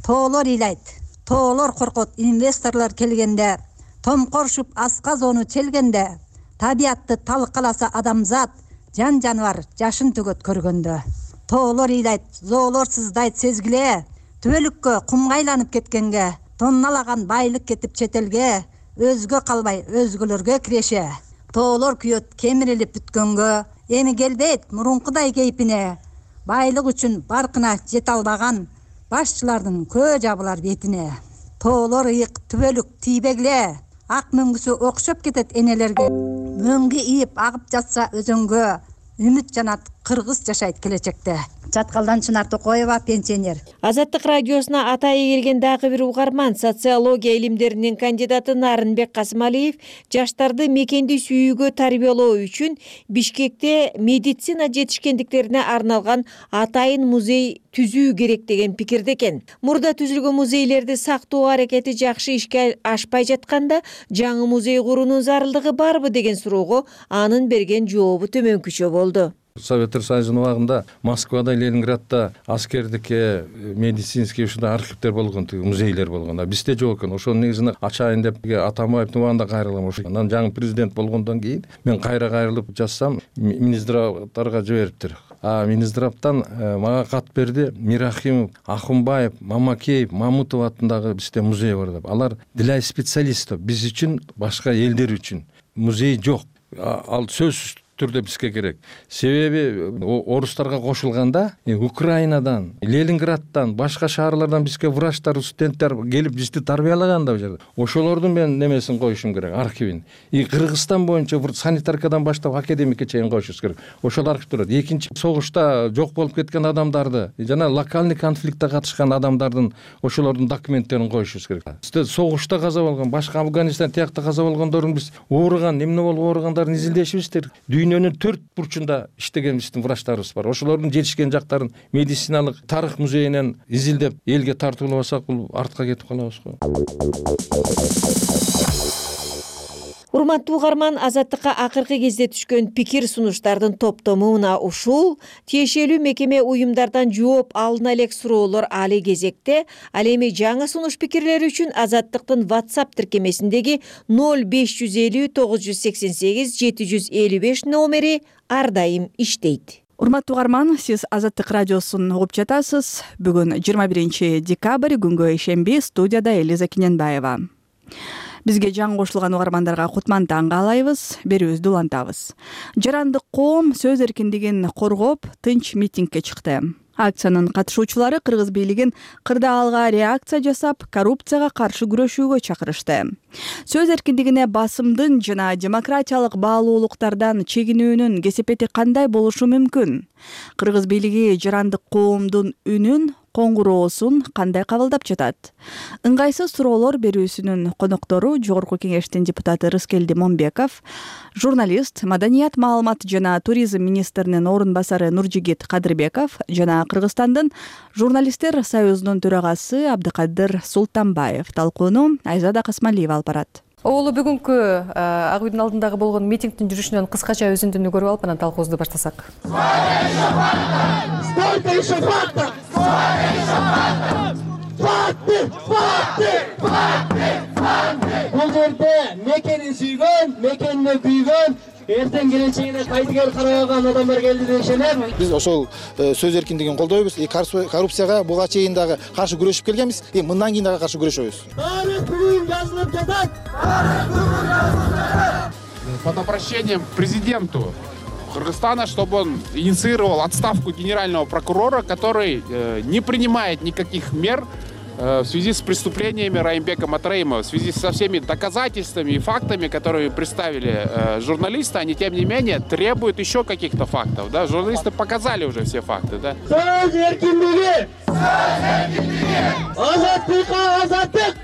Тоолор ыйлайт, тоолор коркот инвесторлор келгенде, томкорушуп аска зоону челгенде, табиятты талкаласа адамзат, жан жаныбар жашын төгөт көргөндө. Тоолор ыйлайт, зоолор сыздайт сезгиле, түбөлүккө кумга айланып кеткенге, тонналаган байлык кетип четелге, өзгө калбай өзгөлөргө киреше. Тоолор күйөт кемирилип бүткөнгө, эми келбейт мурункудай кейпине. Байлык үчүн баркына жете албаган башчылардын көө жабылар бетине. Тоолор ыйык түбөлүк тийбегиле, ак мөңгүсү окшоп кетет энелерге. Мөңгү ийип агып жатса өзөнгө, үмүт жанат кыргыз жашайт келечекте. Чаткалдан Чынар Токоева, пенсионер. Азаттык радиосуна атайы келген дагы бир угарман, социология илимдеринин кандидаты Нарынбек Касымалиев жаштарды мекенди сүйүүгө тарбиялоо үчүн Бишкекте медицина жетишкендиктерине арналган атайын музей түзүү керек деген пикирде экен. Мурда түзүлгөн музейлерди сактоо аракети жакшы ишке ашпай жатканда, жаңы музей куруунун зарылдыгы барбы деген суроого анын берген жообу төмөнкүчө болду. Советтер Союзунун убагында Москвада, Ленинградда аскердикке, медицинский ушундай архивдер болгон, музейлер болгон. Бизде жок экен. Ошонун негизинде ачайын деп Атамбаевдин убагында кайрылгам. Анан жаңы президент болгондон кийин мен кайрылып жазсам, Минздравдарга жибериптир. Минздравдан мага кат берди. Мирахимов, Ахунбаев, Мамакеев, Мамутов атындагы бизде музей бар деп. Алар для специалистов, биз үчүн, башка элдер үчүн музей жок. Ал сөзсүз түрдө бизге керек. Себеби орустарга кошулганда Украинадан, Ленинграддан, башка шаарлардан бизге врачтар, студенттер келип бизди тарбиялаган да бул жерде. Ошолордун мен немесин коюшум керек, архивин. Кыргызстан боюнча санитаркадан баштап академикке чейин коюшубуз керек. Ошол архивдер. Экинчи согушта жок болуп кеткен адамдарды, жана локальный конфликтте катышкан адамдардын ошолордун документтерин коюшубуз керек. Бизде согушта каза болгон, башка Афганистан тиякта каза болгондордун биз ооруган, эмне болуп ооругандарын изилдешибиз керек. Дүйнөнүн 4 бурчунда иштеген биздин врачтарыбыз бар. Ошолордун жетишкен жактарын медициналык тарых музейинен изилдеп элге тартуулабасак, бул артка кетип калабыз го. Урматтуу угарман, Азаттыкка акыркы кезде түшкөн пикир сунуштардын топтому мына ушул. Тиешелүү мекеме уюмдардан жооп алына элек суроолор али кезекте. Ал эми жаңы сунуш пикирлери үчүн Азаттыктын WhatsApp тиркемесиндеги 0550 988 755 номери ар дайым иштейт. Урматтуу угарман, сиз Азаттык радиосун угуп жатасыз. Бүгүн 21 декабрь күнгө ишемби, студияда Элиза Кененбаева. Бизге жаңы кошулган угармандарга кутман таң каалайбыз, берүүбүздү улантабыз. Жарандык коом сөз эркиндигин коргоп, тынч митингге чыкты. Акциянын катышуучулары кыргыз бийлигин кырдаалга реакция жасап, коррупцияга каршы күрөшүүгө чакырышты. Сөз эркиндигине басымдын жана демократиялык баалуулуктардан чегинүүнүн кесепети кандай болушу мүмкүн? Кыргыз бийлиги жарандык коомдун үнүн, коңгуроосун кандай кабылдап жатат? Ыңгайсыз суроолор берүүсүнүн коноктору Жогорку Кеңештин депутаты Рыскелди Момбеков, журналист, маданият, маалымат жана туризм министринин орун басары Нуржигит Кадырбеков жана Кыргызстандын журналисттер союзунун төрагасы Абдыкадыр Султанбаев. Талкууну Айзада Касмалиева алып барат. Оолу бүгүнкү Ак үйдүн алдындагы болгон митингдин жүрүшүнөн кыскача өзүндүнү көрүп алып, анан талкуубузду баштасак. Сколько еще фактов? Бул жерде мекенин сүйгөн, мекенине күйгөн эртең келечегине кайтыгер карай алган адамдар келди деп ишенем. Биз ошол сөз эркиндигин колдойбуз. Коррупцияга буга чейин дагы каршы күрөшүп келгенбиз. Мындан кийин дагы каршы күрөшөбүз. Тарых бүгүн жазылып жатат. Под обращением к президенту Кыргызстана, чтобы он инициировал отставку генерального прокурора, который не принимает никаких мер в связи с преступлениями Раимбека Матраимова, в связи со всеми доказательствами и фактами, которые представили журналисты, они, тем не менее, требуют еще каких-то фактов. Да? Журналисты показали уже все факты. Да? Сөз эркиндиги! Азаттыкка азаттык!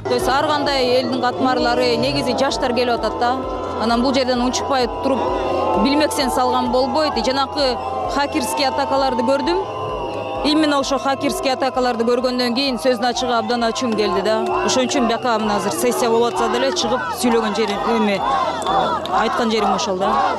То есть ар кандай элдин катмарлары негизи жаштар келип атат да. Анан бул жерден унчукпай туруп билмексен салган болбойт. Жанакы хакерский атакаларды көрдүм. Именно ошо хакерский атакаларды көргөндөн кийин сөздүн ачыгы абдан ачуум келди да. Ошон үчүн бияка мына азыр сессия болуп атса деле чыгып сүйлөгөн жерим айткан жерим ошол да.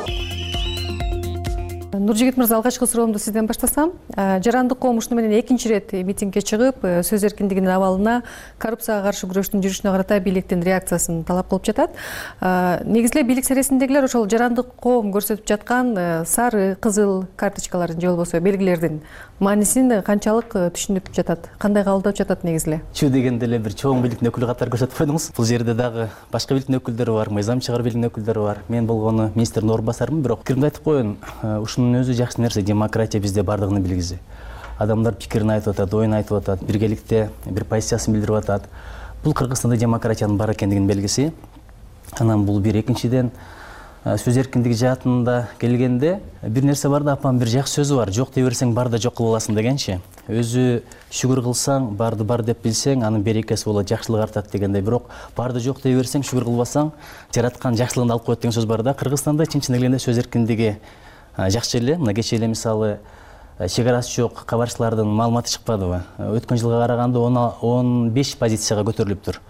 Нуржигит мырза, алгачкы суроомду сизден баштасам. Жарандык коом ушуну менен экинчи ирет митингге чыгып, сөз эркиндигинин абалына, коррупцияга каршы күрөштүн жүрүшүнө карата бийликтин реакциясын талап кылып жатат. Негизи эле бийлик сересиндегилер ошол жарандык коом көрсөтүп жаткан сары, кызыл карточкалардын же болбосо белгилердин маанисин канчалык түшүнүп жатат, кандай кабылдап жатат негизи эле? Чүү дегенде эле бир чоң бийликтин өкүлү катары көрсөтүп койдуңуз. Бул жерде дагы башка бийликтин өкүлдөрү бар, мыйзам чыгаруу бийлигинин өкүлдөрү бар. Мен болгону министрдин орун басарымын, бирок пикиримди айтып коеюн. Ушунун өзү жакшы нерсе, демократия бизде бардыгынын белгиси. Адамдар пикирин айтып атат, оюн айтып атат, биргеликте бир позициясын билдирип атат. Бул Кыргызстанда демократиянын бар экендигинин белгиси. Анан бул бир, экинчиден сөз эркиндиги жаатында келгенде бир нерсе бар да, апам бир жакшы сөзү бар. Жок дей берсең бар да жок кылып аласың дегенчи. Өзү шүгүр кылсаң, барды бар деп билсең, анын берекеси болот, жакшылык артат дегендей. Бирок барды жок дей берсең, шүгүр кылбасаң, жараткан жакшылыгын алып коет деген сөз бар да. Кыргызстанда чын келгенде сөз эркиндиги жакшы эле. Мына кечээ эле мисалы чек арасы жок кабарчылардын маалыматы чыкпадыбы? Өткөн жылга караганда 15 позицияга көтөрүлүптүр.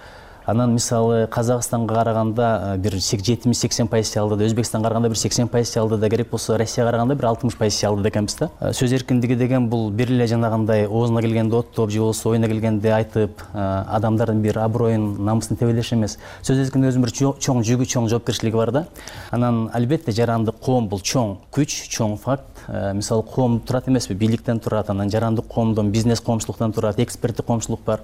Анан мисалы Казакстанга караганда бир 70-80 позиция алды да, Өзбекстанга караганда бир 80 позиция алды да, керек болсо Россияга караганда бир 60 позиция алды экенбиз да. Сөз эркиндиги деген бул бир эле жанагындай оозуна келгенде оттоп же болбосо оюна келгенде айтып, адамдардын бир аброюн, намысын тебелеш эмес. Сөз эркиндигинин өзүнүн бир чоң жүгү, чоң жоопкерчилиги бар да. Анан албетте жарандык коом бул чоң күч, чоң факт. Мисалы коом турат эмеспи, бийликтен турат, анан жарандык коомдон бизнес коомчулуктан турат, эксперттик коомчулук бар.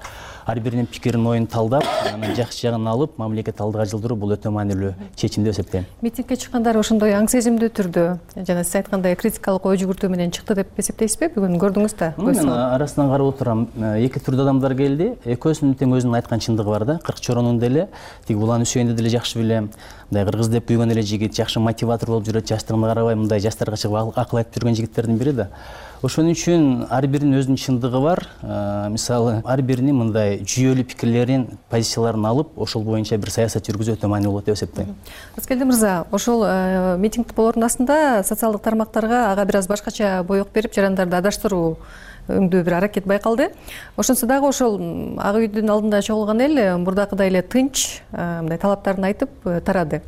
Ар биринин пикирин, оюн талдап, анан жакшы жагын алып, мамлекет алдыга жылдыруу бул өтө маанилүү чечим деп эсептейм. Митингге чыккандар ошондой аң сезимдүү түрдө, жана сиз айткандай критикалык ой жүгүртүү менен чыкты деп эсептейсизби? Бүгүн көрдүңүз да? Мен арасынан карап отурам, эки түрдүү адамдар келди. Экөөсүнүн тең өзүнүн айткан чындыгы бар да. Кыркчоронун деле, тиги Улан Үсөйүндү деле жакшы билем. Мындай кыргыз деп күйгөн эле жигит, жакшы мотиватор болуп жүрөт, жаштыгына карабай мындай жаштарга чыгып акыл айтып жүргөн жигиттердин бири да. Ошон үчүн ар биринин өзүнүн чындыгы бар. Мисалы, ар биринин мындай жүйөлүү пикирлерин, позицияларын алып, ошол боюнча бир саясат жүргүзүү өтө маанилүү болот деп эсептейм. Аскелди мырза, ошол митинг болоордун астында социалдык тармактарга ага бир аз башкача боек берип, жарандарды адаштыруу өңдүү бир аракет байкалды. Ошонсо дагы ошол Ак үйдүн алдында чогулган эл мурдакыдай эле тынч, мындай талаптарын айтып тарады.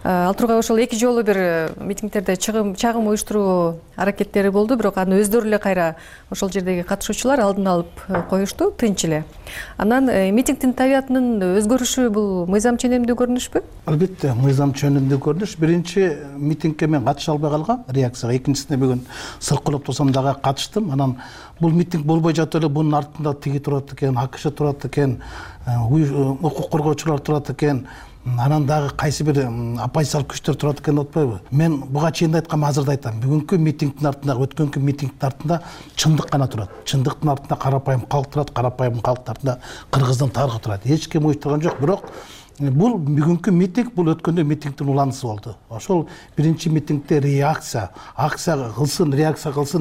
Ал тургай ошол эки жолу бир митингдерде чагым уюштуруу аракеттери болду, бирок аны өздөрү эле кайра ошол жердеги катышуучулар алдын алып коюшту, тынч эле. Анан митингдин табиятынын өзгөрүшү бул мыйзам ченемдүү көрүнүшпү? Албетте, мыйзам ченемдүү көрүнүш. Биринчи митингке мен катыша албай калгам, реакцияга. Экинчисине бүгүн сыркылып турсам дагы катыштым. Анан бул митинг болбой жатып эле бунун артында тиги турат экен, АКШ турат экен, укук коргоочулар турат экен. Анан дагы кайсы бир оппозициялык күчтөр турат экен деп атпайбы? Мен буга чейин да айткам, азыр да айтам. Бүгүнкү митингдин артында, өткөнкү митингдин артында чындык гана турат. Чындыктын артында карапайым калк турат, карапайым калктын артында Кыргыздын тарыхы турат. Эч ким уюштурган жок, бирок бул бүгүнкү митинг, бул өткөндө митингдин уланысы болду. Ошол биринчи митингде реакция, акция кылсын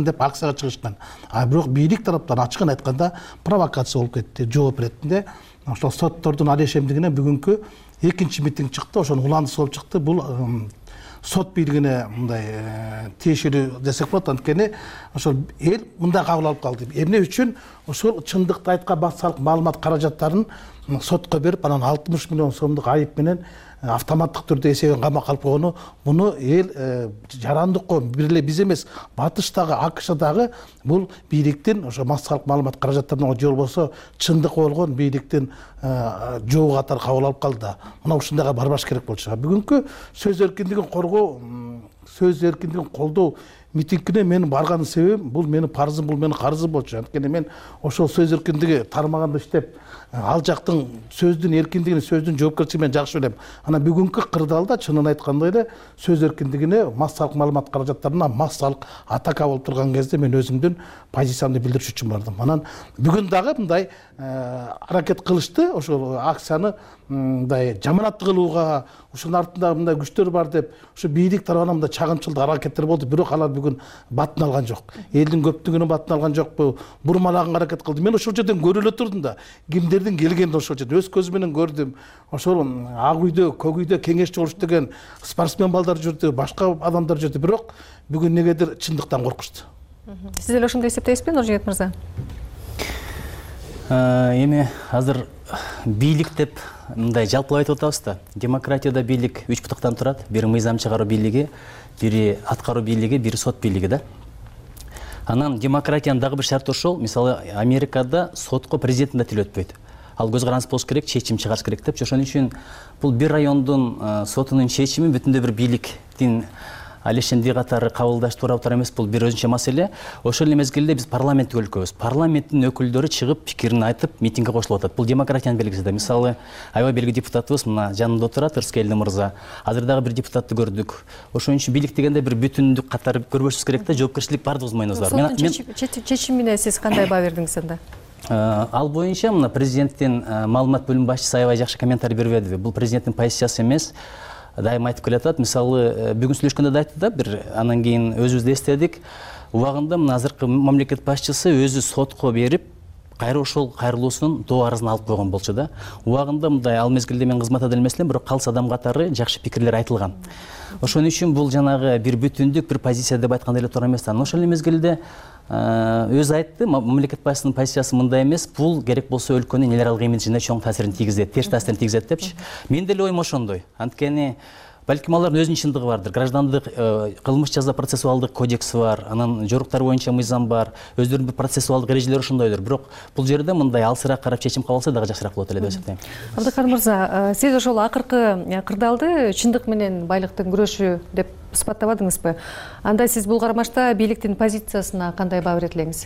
деп акцияга чыгышкан. А бирок бийлик тараптан ачыгын айтканда провокация болуп кетти, жооп иретинде. Ошол соттордун алешемдигине бүгүнкү экинчи митинг чыкты, ошонун уланысы болуп чыкты. Бул сот бийлигине мындай тиешелүү десек болот, анткени ошол эл мындай кабыл алып калды. Эмне үчүн ошол чындыкты айткан баксалык маалымат каражаттарын сотко берип, анан 60 миллион сомдук айып менен автоматтык түрдө эсебин камакка алып койгону буну эл жарандыкко бир эле биз эмес, батыштагы, АКШдагы бул бийликтин ошо массалык маалымат каражаттарынан же болбосо чындык болгон бийликтин жообу катары кабыл алып калды да. Мына ушундайга барбаш керек болчу. Бүгүнкү сөз эркиндигин коргоо, сөз эркиндигин колдоо митингине мен барганын себебим бул менин парзым, бул менин карызым болчу. Анткени мен ошол сөз эркиндиги тармагында иштеп, ал жактын сөздүн эркиндигин, сөздүн жоопкерчилигин жакшы билем. Анан бүгүнкү кырдаалда чынын айтканда эле сөз эркиндигине массалык маалымат каражаттарына массалык атака болуп турган кезде мен өзүмдүн позициямды билдириш үчүн бардым. Анан бүгүн дагы мындай аракет кылышты, ошол акцияны мындай жаманаттуу кылууга, ушунун артында мындай күчтөр бар деп, ушу бийлик тарабынан мындай чагымчылдык аракеттер болду, бирок алар бүгүн батын алган жок. Элдин көптүгүнүн батын алган жокпу, бурмалаганга аракет кылды. Мен ошол жерден көрүп эле турдум да, кимдердин келгенин ошол жерде өз көзүм менен көрдүм. Ошол ак үйдө, көк үйдө кеңешчи болуш деген спортсмен балдар жүрдү, башка адамдар жүрдү, бирок бүгүн негедир чындыктан коркушту. Сиз деле ошондой эсептейсизби, Нуржигит мырза? Эми азыр бийлик деп мындай жалпылап айтып атабыз да. Демократияда бийлик 3 бутуктан турат. Бири мыйзам чыгаруу бийлиги, бири аткаруу бийлиги, бири сот бийлиги да. Анан демократиянын дагы бир шарты ошол. Мисалы, Америкада сотко президенттин да тили өтпөйт. Ал көз каранды болуш керек, чечим чыгарыш керек деп. Ошон үчүн бул бир райондун сотунун чечими бүтүндөй бир бийликтин алешенди катары кабылдаш туура эмес, бул бир өзүнчө маселе. Ошол эле мезгилде биз парламенттик өлкөбүз. Парламенттин өкүлдөрү чыгып пикирин айтып, митингге кошулуп атат. Бул демократиянын белгиси да. Мисалы, аябай белгилүү депутатыбыз мына жанында отурат, Ырскелди мырза. Азыр дагы бир депутатты көрдүк. Ошон үчүн бийлик дегенде бир бүтүндүк катары көрбөшүбүз керек да, жоопкерчилик бардыгыбыздын мойнубузда бар. Соттун чечимине сиз кандай баа бердиңиз анда? Ал боюнча мына президенттин маалымат бөлүм башчысы аябай жакшы комментарий берип берди. Бул президенттин позициясы эмес. Дайыма айтып келатат. Мисалы, бүгүн сүйлөшкөндө да айтты да, бир анан кийин өзүбүздү эстедик. Убагында мына азыркы мамлекет башчысы өзү сотко берип, кайра ошол кайрылуусунун доо арызын алып койгон болчу да. Убагында мындай ал мезгилде мен кызматта эле элем, бирок калыс адам катары жакшы пикирлер айтылган. Ошон үчүн бул жанагы бир бүтүндүк бир позиция деп айтканда эле туура эмес. Ошол эле мезгилде өзү айтты, мамлекет башчысынын позициясы мындай эмес, бул керек болсо өлкөнүн эл аралык имиджине чоң таасирин тийгизет, терс таасирин тийгизет депчи. Мен деле оюм ошондой. Анткени балким алардын өзүнүн чындыгы бардыр. Граждандык кылмыш жаза процессуалдык кодекси бар, анан жоруктар боюнча мыйзам бар, өздөрүнүн процессуалдык эрежелери ошондойдур. Бирок бул жерде мындай алсыраак карап чечим кабыл алса дагы жакшыраак болот эле деп эсептейм. Абдыкадыр мырза, сиз ошол акыркы кырдаалды чындык менен байлыктын күрөшү деп сыпаттабадыңызбы? Анда сиз бул карамашта бийликтин позициясына кандай баа берет элеңиз?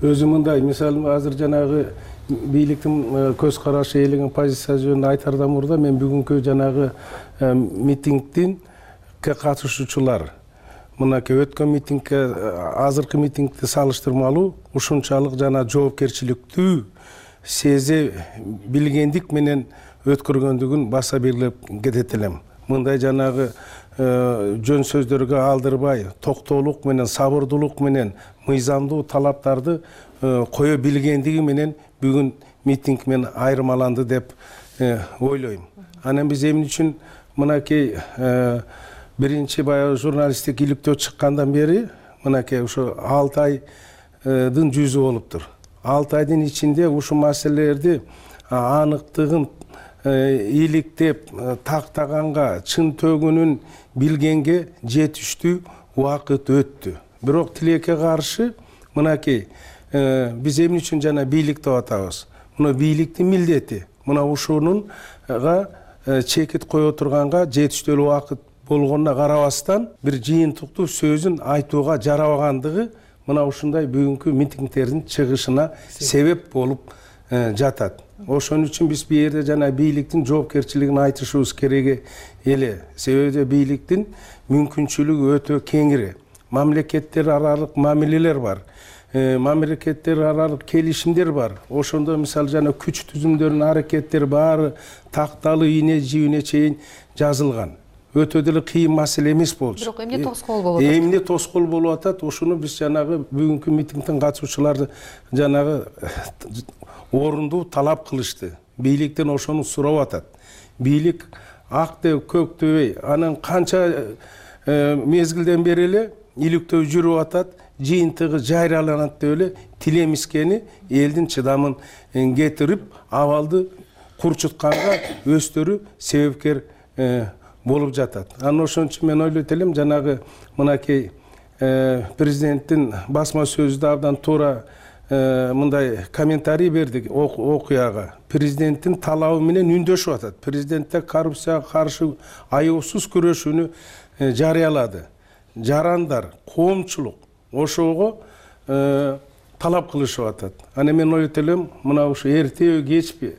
Өзү мындай, мисалы, азыр жанагы бийликтин көз карашы, элеген позиция жөнүндө айтардан мурда мен бүгүнкү жанагы митингдин катышуучулар, мынакей өткөн митингке азыркы митингди салыштырмалуу ушунчалык жана жоопкерчиликтүү сезе билгендик менен өткөргөндүгүн баса белгилеп кетет элем. Мындай жанагы жөн сөздөргө алдырбай, токтоолук менен, сабырдуулук менен мыйзамдуу талаптарды кое билгендиги менен бүгүн митинг менен айырмаланды деп ойлойм. Анан биз эмне үчүн мынакей биринчи баягы журналисттик иликтөө чыккандан бери мынакей ушу 6 айдын жүзү болуптур. 6 айдын ичинде ушу маселелерди аныктыгын иликтеп тактаганга, чын төгүнүн билгенге жетиштүү убакыт өттү. Бирок тилекке каршы мынакей биз эмне үчүн жана бийлик деп атабыз? Мына бийликтин милдети. Мына ушунунга чекит кое турганга жетиштүү убакыт болгонуна карабастан бир жыйынтыктуу сөзүн айтууга жарабагандыгы мына ушундай бүгүнкү митингдердин чыгышына себеп болуп жатат. Ошон үчүн биз бу жерде жана бийликтин жоопкерчилигин айтышыбыз керек эле. Себеби бийликтин мүмкүнчүлүгү өтө кеңири. Мамлекеттер аралык мамилелер бар. Мамлекеттер аралык келишимдер бар. Ошондо мисалы жана күч түзүмдөрүнүн аракеттери баары такталуу ийне чейин жазылган. Өтө деле кыйын маселе эмес болчу. Бирок эмне тоскоол болуп атат? Эмне тоскоол болуп атат? Ошону биз жанагы бүгүнкү митингдин катышуучулары жанагы орундуу талап кылышты. Бийликтен ошону сурап атат. Бийлик ак деп көк дебей, анан канча мезгилден бери эле иликтөө жүрүп атат, жыйынтыгы жайраланат деп эле тилемискени элдин чыдамын кетирип, абалды курчутканга өздөрү себепкер болуп жатат. Анан ошон үчүн мен ойлойт элем, жанагы мынакей президенттин басма сөзү да абдан туура мындай комментарий берди окуяга. Президенттин талабы менен үндөшүп атат. Президентте коррупцияга каршы аяусуз күрөшүүнү жарыялады. Жарандар, коомчулук ошого талап кылышып атат. Аны мен ойлойт элем, мына ушу эртеби кечпи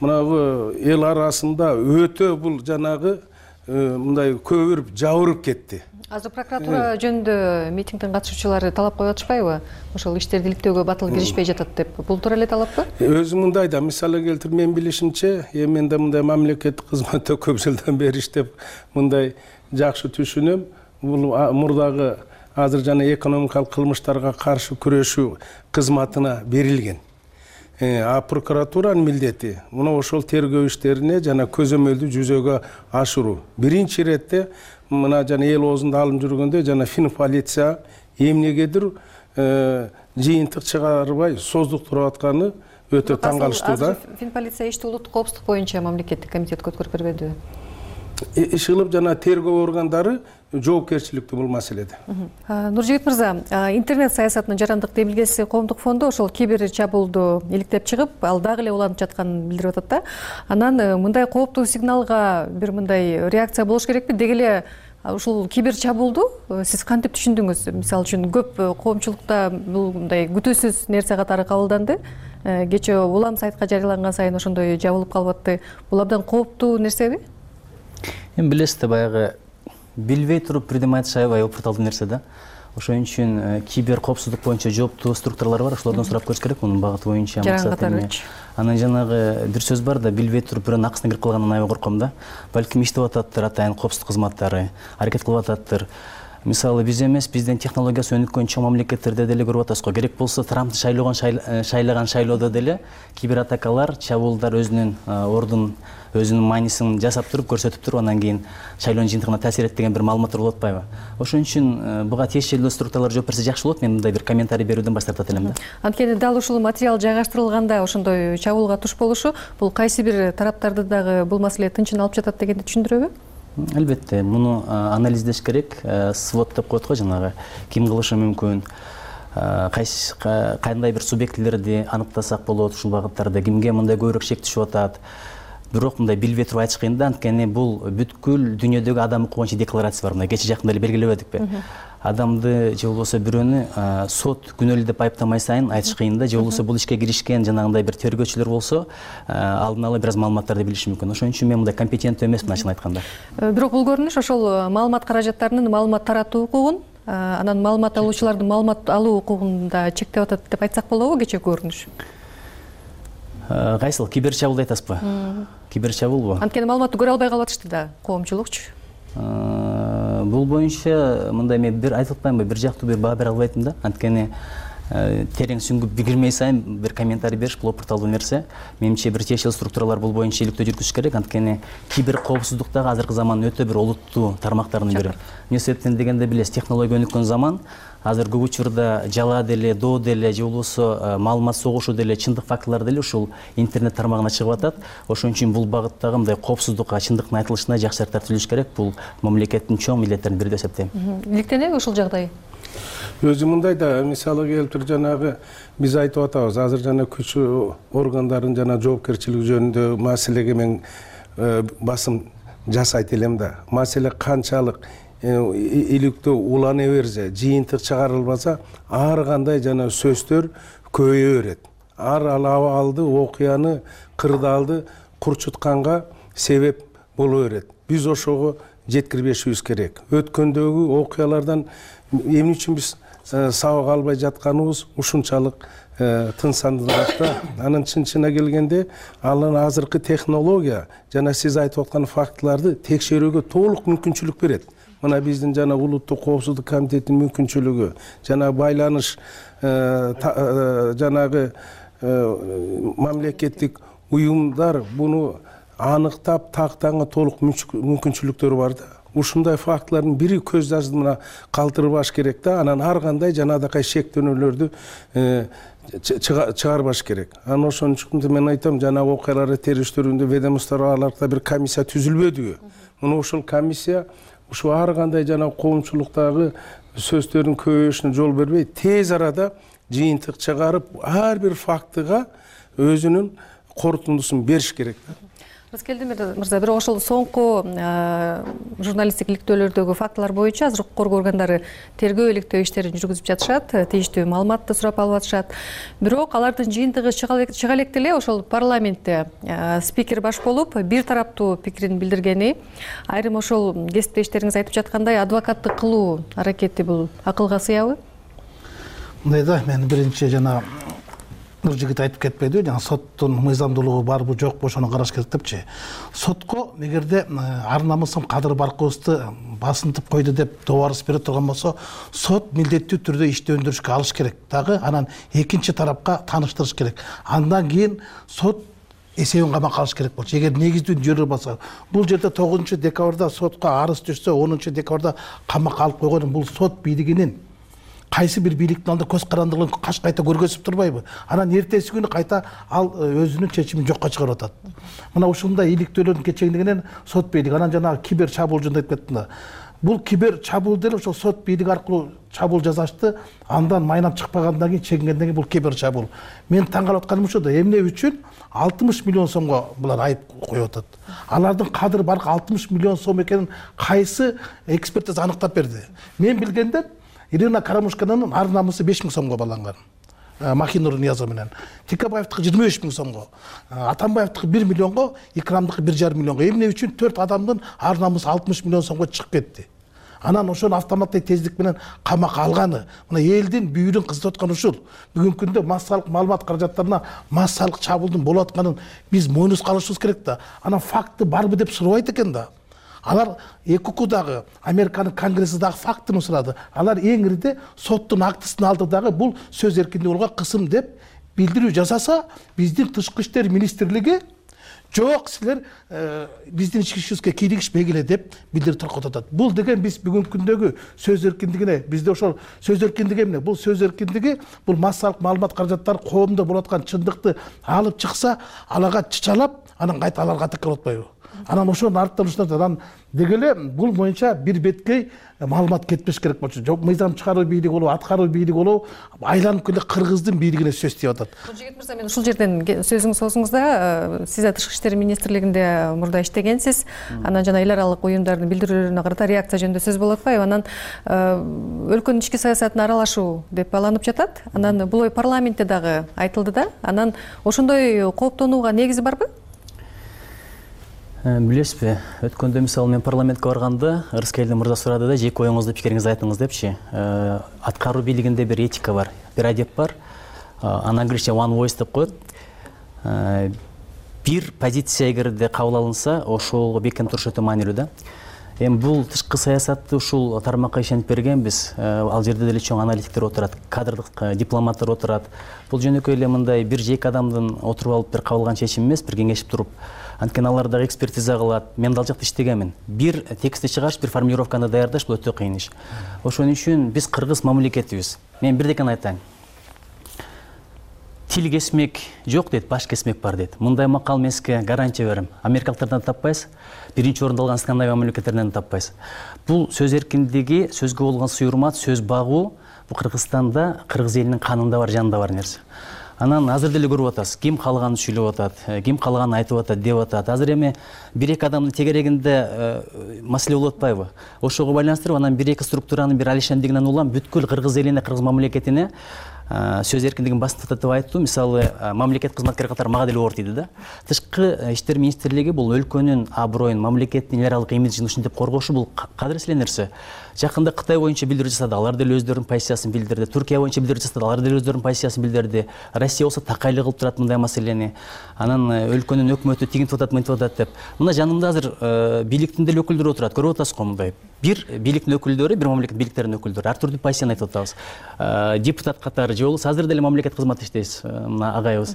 мынагы эл арасында өтө бул жанагы мындай көбүрүп жабырып кетти. Азыр прокуратура жөнүндө митингдин катышуучулары талап коюп атышпайбы? Ошол иштерди иликтөөгө батыл киришпей жатат деп. Бул туура эле талаппы? Өзү мындай да, мисалы келтирип, мен билишимче, мен да мындай мамлекеттик кызматта көп жылдан бери иштеп, мындай жакшы түшүнөм. Бул мурдагы азыр жана экономикалык кылмыштарга каршы күрөшүү кызматына берилген. А прокуратуранын милдети мына ошол тергөө иштерине жана көзөмөлдү жүзөгө ашыруу. Биринчи иретте мына жана эл оозунда алынып жүргөндө жана Финполиция эмнегедир жыйынтык чыгарбай создуктуруп атканы өтө таң калыштуу да. Финполиция ишти улуттук коопсуздук боюнча мамлекеттик комитетке өткөрүп бербедиби? Иш кылып жана тергөө органдары жоопкерчиликтүү бул маселеде. Нуржигит мырза, интернет саясатынын жарандык демилгеси коомдук фонду ошол кибер чабуулду иликтеп чыгып, ал дагы эле уланып жатканын билдирип атат да. Анан мындай кооптуу сигналга бир мындай реакция болуш керекпи? Деги эле ушул кибер чабуулду сиз кантип түшүндүңүз? Мисалы үчүн көп коомчулукта бул мындай күтүүсүз нерсе катары кабылданды. Кечээ улам сайтка жарыяланган сайын ошондой жабылып калып атты. Бул абдан кооптуу нерсеби? Эми билесиз да, баягы билбей туруп бирдеме айтыш аябай опурталдуу нерсе да. Ошон үчүн кибер коопсуздук боюнча жооптуу структуралар бар, ошолордон сурап көрүш керек мунун багыты боюнча. Анан жанагы бир сөз бар да, билбей туруп бирөөнүн акысына кирип калгандан аябай корком да. Балким иштеп ататтыр атайын коопсуздук кызматтары, аракет кылып ататтыр. Мисалы биз эмес, биздин технологиясы өнүккөн чоң мамлекеттерде деле көрүп атабыз го. Керек болсо Трампты шайлаган шайлоодо деле кибер атакалар, чабуулдар өзүнүн ордун, өзүнүн маанисин жасап туруп, көрсөтүп туруп, анан кийин шайлоонун жыйынтыгына таасир этти деген бир маалыматтар болуп атпайбы? Ошон үчүн буга тиешелүү структуралар жооп берсе жакшы болот. Мен мындай бир комментарий берүүдөн баш тартат элем да. Анткени дал ушул материал жайгаштырылганда ошондой чабуулга туш болушу бул кайсы бир тараптарды дагы бул маселе тынчын алып жатат дегенди түшүндүрөбү? Албетте, муну анализдеш керек. Свод деп коет го, жанагы ким кылышы мүмкүн, кандай бир субъектилерди аныктасак болот, ушул багыттарда кимге мындай көбүрөөк шек түшүп атат. Бирок мындай билбей туруп айтыш кыйын да, анткени бул бүткүл дүйнөдөгү адам укугу боюнча декларация бар. Мына кече жакында эле белгилебедикпи? Адамды же болбосо бирөөнү сот күнөөлүү деп айыптамай сайын айтыш кыйын да, же болбосо бул ишке киришкен жанагындай бир тергөөчүлөр болсо алдын ала бир аз маалыматтарды билиши мүмкүн. Ошон үчүн мен мындай компетенттүү эмесмин ачыгын айтканда. Бирок бул көрүнүш ошол маалымат каражаттарынын маалымат таратуу укугун, анан маалымат алуучулардын маалымат алуу укугун да чектеп атат деп айтсак болобу кече көрүнүш? Кайсыл кибер чабуул айтасызбы? Кибер чабуулбу? Анткени маалыматты көрө албай калып атышты да коомчулукчу. Бул боюнча мындай мен бир айтып атпаймынбы, бир жактуу бир баа бере албайтмын да. Анткени терең сүңгүп кирмей сайын бир комментарий бериш бул опурталдуу нерсе. Менимче бир тиешелүү структуралар бул боюнча иликтөө жүргүзүш керек. Анткени кибер коопсуздуктагы азыркы замандын өтө бир олуттуу тармактарынын бири. Эмне себептен дегенде билесиз, технология өнүккөн заман. Азыр көп учурда жала деле, доо деле, же болбосо маалымат согушу деле, чындык фактылар деле ушул интернет тармагына чыгып атат. Ошон үчүн бул багыттагы мындай коопсуздукка, чындыктын айтылышына жакшы шарттар түзүлүш керек. Бул мамлекеттин чоң милдеттеринин бири деп эсептейм. Иликтенеби ушул жагдай? Өзү мындай да, мисалы келтирип жанагы биз айтып атабыз, азыр жана күч органдарын жана жоопкерчилиги жөнүндө маселеге мен басым жасайт элем да. Маселе канчалык иликтөө улана берсе, жыйынтык чыгарылбаса, ар кандай жана сөздөр көбөйө берет. Ар абалды, окуяны, кырдаалды курчутканга себеп боло берет. Биз ошого жеткирбешибиз керек. Өткөндөгү окуялардан эмне үчүн биз сабак албай жатканыбыз ушунчалык тынсандыраак да. Анын чын-чынына келгенде, анын азыркы технология жана сиз айтып аткан фактыларды текшерүүгө толук мүмкүнчүлүк берет. Мына биздин жана улуттук коопсуздук комитетинин мүмкүнчүлүгү, жана байланыш жанагы мамлекеттик уюмдар буну аныктап тактаганга толук мүмкүнчүлүктөрү бар да. ушундай фактылардын бири көз ажымына калтырбаш керек да, анан ар кандай жанагындай шектөөнөлөрдү чыгарбаш керек. Анан ошон үчүн мен айтам, жанагы окуяларды териштирүүндө ведомстволордо бир комиссия түзүлбөдүбү? Мына ошол комиссия ушу ар кандай жанагы коомчулуктагы сөздөрдүн көбөйүшүнө жол бербей, тез арада жыйынтык чыгарып, ар бир фактыга өзүнүн корутундусун бериш керек. Раскелди мырза, бирок ошол соңку журналисттик иликтөөлөрдөгү фактылар боюнча азыр укук коргоо органдары тергөө иликтөө иштерин жүргүзүп жатышат, тийиштүү маалыматты сурап алып атышат. Бирок алардын жыйынтыгы чыга электе эле ошол парламентте спикер баш болуп бир тараптуу пикирин билдиргени, айрым ошол кесиптештериңиз айтып жаткандай адвокаттык кылуу аракети бул акылга сыябы? Мындай да, мен биринчи жана бул жигит айтып кетпедиби, жана соттун мыйзамдуулугу барбы жокпу ошону караш керек депчи. Сотко эгерде ар намысым Кадыр Баркыбызды басынтып койду деп добарыс бере турган болсо, сот милдеттүү түрдө ишти өндүрүшкө алыш керек дагы, анан экинчи тарапка тааныштырыш керек. Андан кийин сот эсебин камакка алыш керек болчу. Эгер негиздүү жөрү болсо, бул жерде 9 декабрда сотко арыз түшсө, 10 декабрда камакка алып койгон бул сот бийлигинин кайсы бир бийликтин алдында көз карандылыгын каш кайта көргөзүп турбайбы? Анан эртеси күнү кайта ал өзүнүн чечимин жокко чыгарып атат. Мына ушундай иликтөөлөрдүн кечеңдигинен сот бийлиги, анан жана кибер чабуул жөнүндө айтып кеттим да. Бул кибер чабуул деле ошол сот бийлиги аркылуу чабуул жасашты, андан майнап чыкпагандан кийин чегингенден кийин бул кибер чабуул. Мен таң калып атканым ушул да, эмне үчүн 60 миллион сомго булар айып коюп атат. Алардын Кадыр Баркы 60 миллион сом экенин кайсы экспертиза аныктап берди? Мен билгенде Ирина Карамушканын ар намысы 5 000 сомго баланган. Махинур Ниязов менен. Тикабаевдики 25 000 сомго. Атамбаевдики 1 миллионго, Икрамдыкы 1,5 миллионго. Эмне үчүн 4 адамдын ар намысы 60 миллион сомго чыгып кетти? Анан ошону автоматтык тездик менен камакка алганы, мына элдин бүйүрүн кызытып аткан ушул. Бүгүнкү күндө массалык маалымат каражаттарына массалык чабуулдун болуп атканын биз мойнубузга алышыбыз керек да. Анан факты барбы деп сурабайт экен да. Алар ЭКУ-дагы, Американын конгресси дагы фактыны сурады. Алар эң ирide соттун актысын алды дагы бул сөз эркиндигине кысым деп билдирүү жасаса, биздин тышкы иштер министрлиги жок, силер биздин ички ишибизге кийлигишпей келе деп билдирип таркатып атат. Бул деген биз бүгүнкү күндөгү сөз эркиндигине, бизде ошол сөз эркиндиги эмне? Бул сөз эркиндиги, бул массалык маалымат каражаттары коомдо болуп аткан чындыкты алып чыкса, алага чычалап, анан кайта аларга атакка атпайбы? Анан ошонун арттан ушундан деги эле бул боюнча бир беткей маалымат кетпеш керек болчу. Жок, мыйзам чыгаруу бийлиги болобу, аткаруу бийлиги болобу, айланып келе кыргыздын бийлигине сөз тийип атат. Жигит мырза, мен ушул жерден сөзүңүз соосуңузда, сиз тышкы иштер министрлигинде мурда иштегенсиз, анан жана эл аралык уюмдардын билдирүүлөрүнө карата реакция жөнүндө сөз болуп атпайбы? Анан өлкөнүн ички саясатына аралашуу деп алынып жатат. Анан бул ой парламентте дагы айтылды да. Анан ошондой кооптонууга негизи барбы? Билесизби, өткөндө мисалы мен парламентке барганда Рыскелди мырза сурады да, жеке оюңузду пикириңизди айтыңыз депчи. Аткаруу бийлигинде бир этика бар, бир адеп бар. Англисче one voice деп коет. Бир позиция эгерде кабыл алынса, ошол бекем туруш өтө маанилүү да. Эми бул тышкы саясатты ушул тармакка ишенип бергенбиз. Ал жерде деле чоң аналитиктер отурат, кадрдык дипломаттар отурат. Бул жөнөкөй эле мындай бир жеке адамдын отуруп алып бир кабыл алган чечим эмес, бир кеңешип туруп. Анткени алар дагы экспертиза кылат. Мен дал жакта иштегенмин. Бир текстти чыгарыш, бир формулировканы даярдаш бул өтө кыйын иш. Ошон үчүн биз кыргыз мамлекетибиз. Мен бирдекени айтайын. Тил кесмек жок дейт, баш кесмек бар дейт. Мындай макал мен сизге гарантия берем. Америкалыктардан таппайсыз, биринчи орунду алган Скандинавия мамлекеттеринен таппайсыз. Бул сөз эркиндиги, сөзгө болгон суйурмат, сөз багуу бул Кыргызстанда, кыргыз элинин канында бар, жанында бар нерсе. Анан азыр деле көрүп атасыз, ким каалаганын сүйлөп атат, ким каалаганын айтып атат, деп атат. Азыр эми бир-эки адамдын тегерегинде маселе болуп атпайбы? Ошого байланыштырып, анан бир-эки структуранын бир алишендигинен улам бүткүл кыргыз элине, кыргыз мамлекетине сөз эркиндигин басынтып деп айтуу, мисалы, мамлекет кызматкери катары мага деле оор тийди да. Тышкы иштер министрлиги бул өлкөнүн аброюн, мамлекеттин эл аралык имиджин ушинтип коргошу бул кадыр эле нерсе. Жакында Кытай боюнча билдирүү жасады, алар деле өздөрүнүн позициясын билдирди. Туркия боюнча билдирүү жасады, алар деле өздөрүнүн позициясын билдирди. Россия болсо такайлык кылып турат мындай маселени. Анан өлкөнүн өкмөтү тигинтип атат, мынтип атат деп. Мына жанымда азыр бийликтин деле өкүлдөрү отурат. Көрүп атасызго мындай. Бир бийликтин өкүлдөрү, бир мамлекет бийликтеринин өкүлдөрү ар түрдүү позицияны айтып атабыз. Депутат катары же болбосо азыр деле мамлекет кызматында иштейбиз, мына агайыбыз.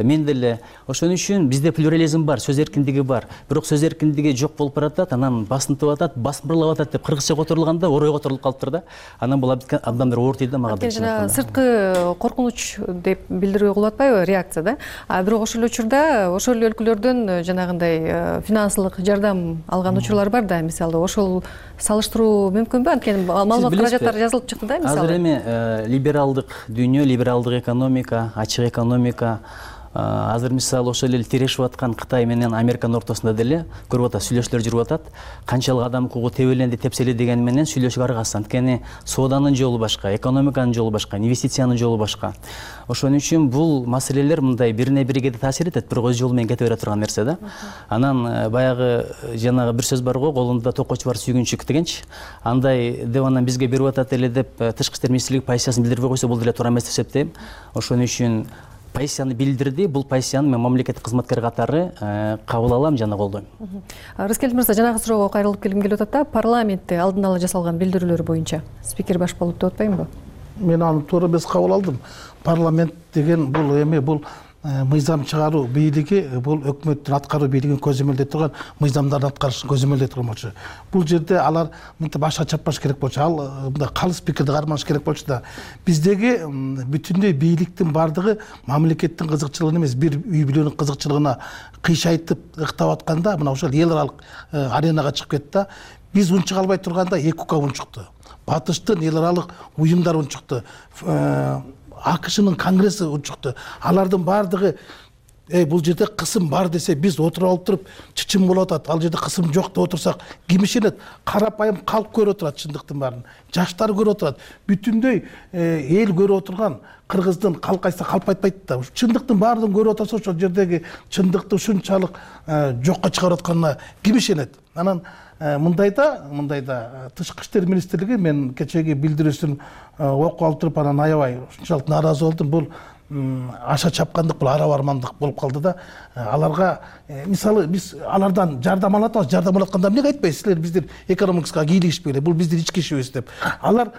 Мен деле ошон үчүн бизде плюрализм бар, сөз эркиндиги бар. Бирок сөз эркиндиги жок болуп баратат, анан басынтып атат, басмырлап атат деп кыргызча которулганда орой которулуп калыптыр да. Анан бул абдан бир оор тийди да мага. Жана сырткы коркунуч деп билдирүү кылып атпайбы, реакция да. Бирок ошол учурда ошол өлкөлөрдөн жанагындай финансылык жардам алган учурлар бар да, мисалы ошол салыштыруу мүмкүнбү? Анткени маалымат каражаттары жазылып чыкты да, мисалы. Азыр эми либералдык дүйнө, либералдык экономика, ачык экономика, азыр мисалы ошол эле тирешип аткан Кытай менен Американын ортосунда деле көрүп атат, сүйлөшүүлөр жүрүп атат. Канчалык адам укугу тебеленди, тепсели дегени менен сүйлөшүүгө аргасыз. Анткени сооданын жолу башка, экономиканын жолу башка, инвестициянын жолу башка. Ошон үчүн бул маселелер мындай бирине бириге таасир этет, бирок өз жолу менен кете бере турган нерсе да. Анан баягы жанагы бир сөз бар го, колунда токочу бар сүйгүнчүк дегенчи. Андай деп анан бизге берип атат эле деп тышкы иштер министрлиги позициясын билдирбей койсо бул деле туура эмес деп эсептейм. Ошон үчүн позицияны билдирди, бул позицияны мен мамлекеттик кызматкер катары кабыл алам жана колдойм. Рыскелди мырза, жанагы суроого кайрылып келгим келип атат да, парламентте алдын ала жасалган билдирүүлөр боюнча спикер баш болуп деп атпаймынбы? Мен аны туура эмес кабыл алдым. Парламент деген бул эми бул мыйзам чыгаруу бийлиги, бул өкмөттүн аткаруу бийлигин көзөмөлдөй турган, мыйзамдарды аткарышын көзөмөлдөй турган болчу. Бул жерде алар мынтип башка чаппаш керек болчу, ал мындай калыс пикирди кармаш керек болчу да. Биздеги бүтүндөй бийликтин бардыгы мамлекеттин кызыкчылыгына эмес, бир үй бүлөнүн кызыкчылыгына кыйшайтып ыктап атканда, мына ошол эл аралык аренага чыгып кетти да. Биз унчук албай турганда ЭКУК унчукту. Батыштын эл аралык уюмдар унчукту. АКШнын конгресси унчукту. Алардын бардыгы бул жерде кысым бар десе биз отуруп алып туруп чычым болуп атат. Ал жерде кысым жок деп отурсак кимишенет? Карапайым калк көрүп отурат чындыктын баарын. Жаштар көрүп отурат. Бүтүндөй эл көрүп отурган кыргыздын калкайса калп айтпайт да. Чындыктын баарын көрүп отурса ошол жердеги чындыкты ушунчалык жокко чыгарып атканына кимишенет? Анан мындайда тышкы иштер министрлиги, мен кечеги билдирүүсүн окуп алып туруп анан аябай ушунчалык нааразы болдум. Бул аша чапкандык, бул ара бармандык болуп калды да. Аларга мисалы биз алардан жардам алып атабыз, жардам алатканда эмнеге айтпайсыз? Силер биздин экономикага кийлигишпегиле, бул биздин ички ишибиз деп. Алар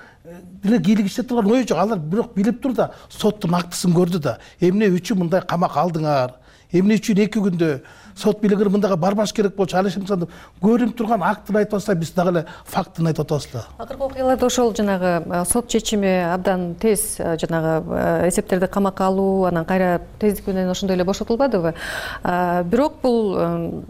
деле кийлигише турган ою жок. Алар бирок билип тур да, соттун актысын көрдү да. Эмне үчүн мындай камак алдыңар? Эмне үчүн 2 күндө сот бийлиги мындайга барбаш керек болчу? Ал ишин көрүнүп турган актын айтып атса, биз дагы эле фактын айтып атабыз да. Акыркы окуяларда ошол жанагы сот чечими абдан тез жанагы эсептерди камакка алуу, анан кайра тездик менен ошондой эле бошотулбадыбы? Бирок бул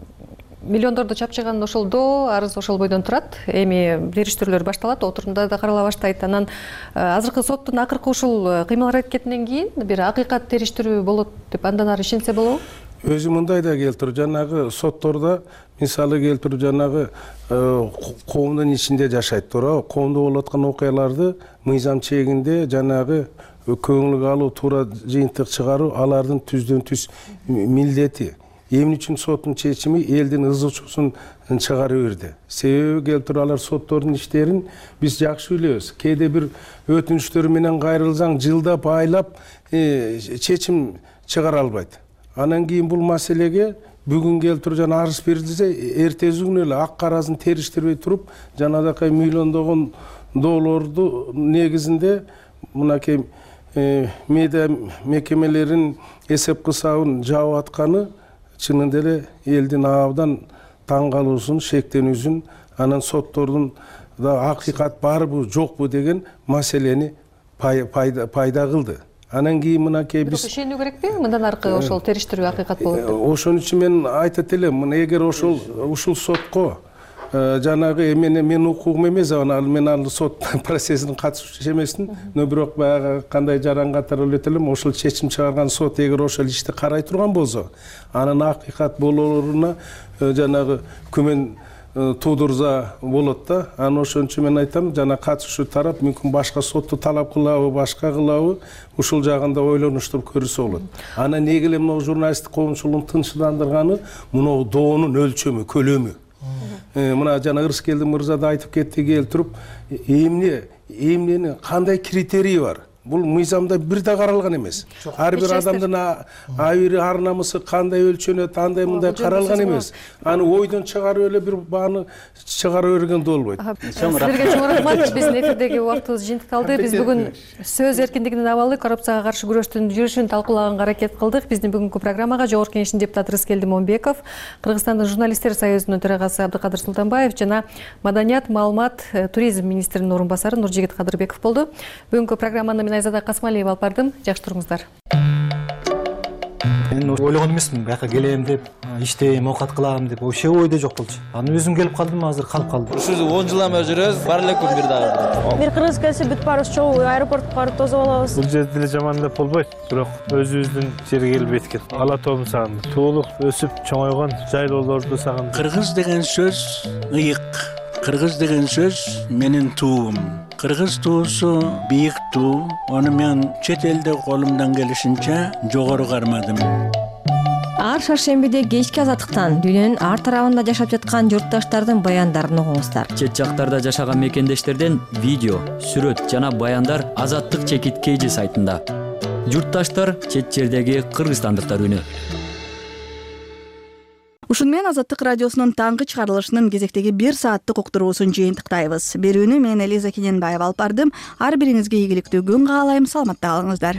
миллиондорду чапчыган ошолдо арыз ошол бойдон турат. Эми териштирүүлөр башталат, отурумда да карала баштайт. Анан азыркы соттун акыркы ушул кыймыл аракетинен кийин бир акыйкат териштирүү болот деп андан ары ишенсе болобу? Өзү мындай да келтирип, жанагы соттордо мисалы келтирип, жанагы коомдун ичинде жашайт, туурабы? Коомдо болуп аткан окуяларды мыйзам чегинде жанагы көңүлгө алуу, туура жыйынтык чыгаруу алардын түздөн түз милдети. Эмне үчүн соттун чечими элдин ызы-чуусун чыгарып берди? Себеби келтирип, алар соттордун иштерин биз жакшы билебиз. Кээде бир өтүнүчтөр менен кайрылсаң жылдап, айлап чечим чыгара албайт. Анан кийин бул маселеге бүгүн келтирип жана арыз берилсе, эртеси күнү эле ак карасын териштирбей туруп, жанагы миллиондогон долларду негизинде мынакей медиа мекемелерин эсеп кысабын жаап атканы чынында эле элдин абдан таң калуусун, шектенүүсүн, анан соттордун да акыйкат барбы, жокпу деген маселени пайда кылды. Анан кийин мынакей биз ишенүү керекпи? Мындан аркы ошол териштирүү акыйкат болот деп. Ошон үчүн мен айтат элем, эгер ушул сотко жанагы мен укугум эмес, мен ал сот процессине катышуучу эмесмин, но бирок баягы кандай жаран катары элет элем, ошол чечим чыгарган сот эгер ошол ишти карай турган болсо, анын акыйкат болооруна жанагы күмөн туудурса болот да. Анан ошон үчүн мен айтам, жана катышуучу тарап мүмкүн башка сотту талап кылабы, башка кылабы, ушул жагында ойлонуштуп көрүсө болот. Анан неге эле могу журналисттик коомчулуктун тынчсыздандырганы мынау доонун өлчөмү, көлөмү. мына жана Ырыскелди мырза да айтып кетти келтирип, эмнени кандай критерий бар? Бул мыйзамда бир да каралган эмес. Ар бир адамдын абийири, ар намысы кандай өлчөнөт, андай мындай каралган эмес. Аны ойдон чыгарып эле бир бааны чыгарып берген да болбойт. Силерге чоң рахмат. Биздин эфирдеги убактыбыз жыйынтык калды. Биз бүгүн сөз эркиндигинин абалы, коррупцияга каршы күрөштүн жүрүшүн талкуулаганга аракет кылдык. Биздин бүгүнкү программага Жогорку Кеңештин депутаты Рыскелди Момбеков, Кыргызстандын журналисттер союзунун төрагасы Абдыкадыр Султанбаев жана Маданият, маалымат, туризм министринин орун басары Нуржигит Кадырбеков болду. Бүгүнкү программаны Айзада Касмалиева алып бардым. Жакшы туруңуздар. Мен ойлогон эмесмин, бияка келем деп, иштейм, оокат кылам деп, вообще ойдо жок болчу. Аны өзүм келип калдым, азыр калып калдым. Ушул 10 жылдан бери жүрөбүз, бар эле күн бир дагы. Бир кыргыз келсе бүт баарыбыз чогуу аэропортко барып тосуп алабыз. Бул жерде деле жаман деп болбойт, бирок өзүбүздүн жерге келип жеткен. Ала тоом сагындым. Туулук өсүп чоңойгон жайлоолорду сагындым. Кыргыз деген сөз ыйык. Кыргыз деген сөз менин туум. Кыргыз туусу бийик туу. Аны мен чет элде колумдан келишинче жогору кармадым. Ар шаршембиде кечки азаттыктан дүйнөнүн ар тарабында жашап жаткан журтташтардын баяндарын угуңуздар. Чет жактарда жашаган мекендештерден видео, сүрөт жана баяндар Азаттык чекит KG сайтында. Журтташтар чет жердеги кыргызстандыктар үнү. Ушуну менен Азаттык радиосунун таңкы чыгарылышынын кезектеги 1 сааттык уктуруусун жыйынтыктайбыз. Берүүнү мен Элиза Кененбаева алып бардым. Ар бириңизге ийгиликтүү күн каалайм. Саламатта калыңыздар.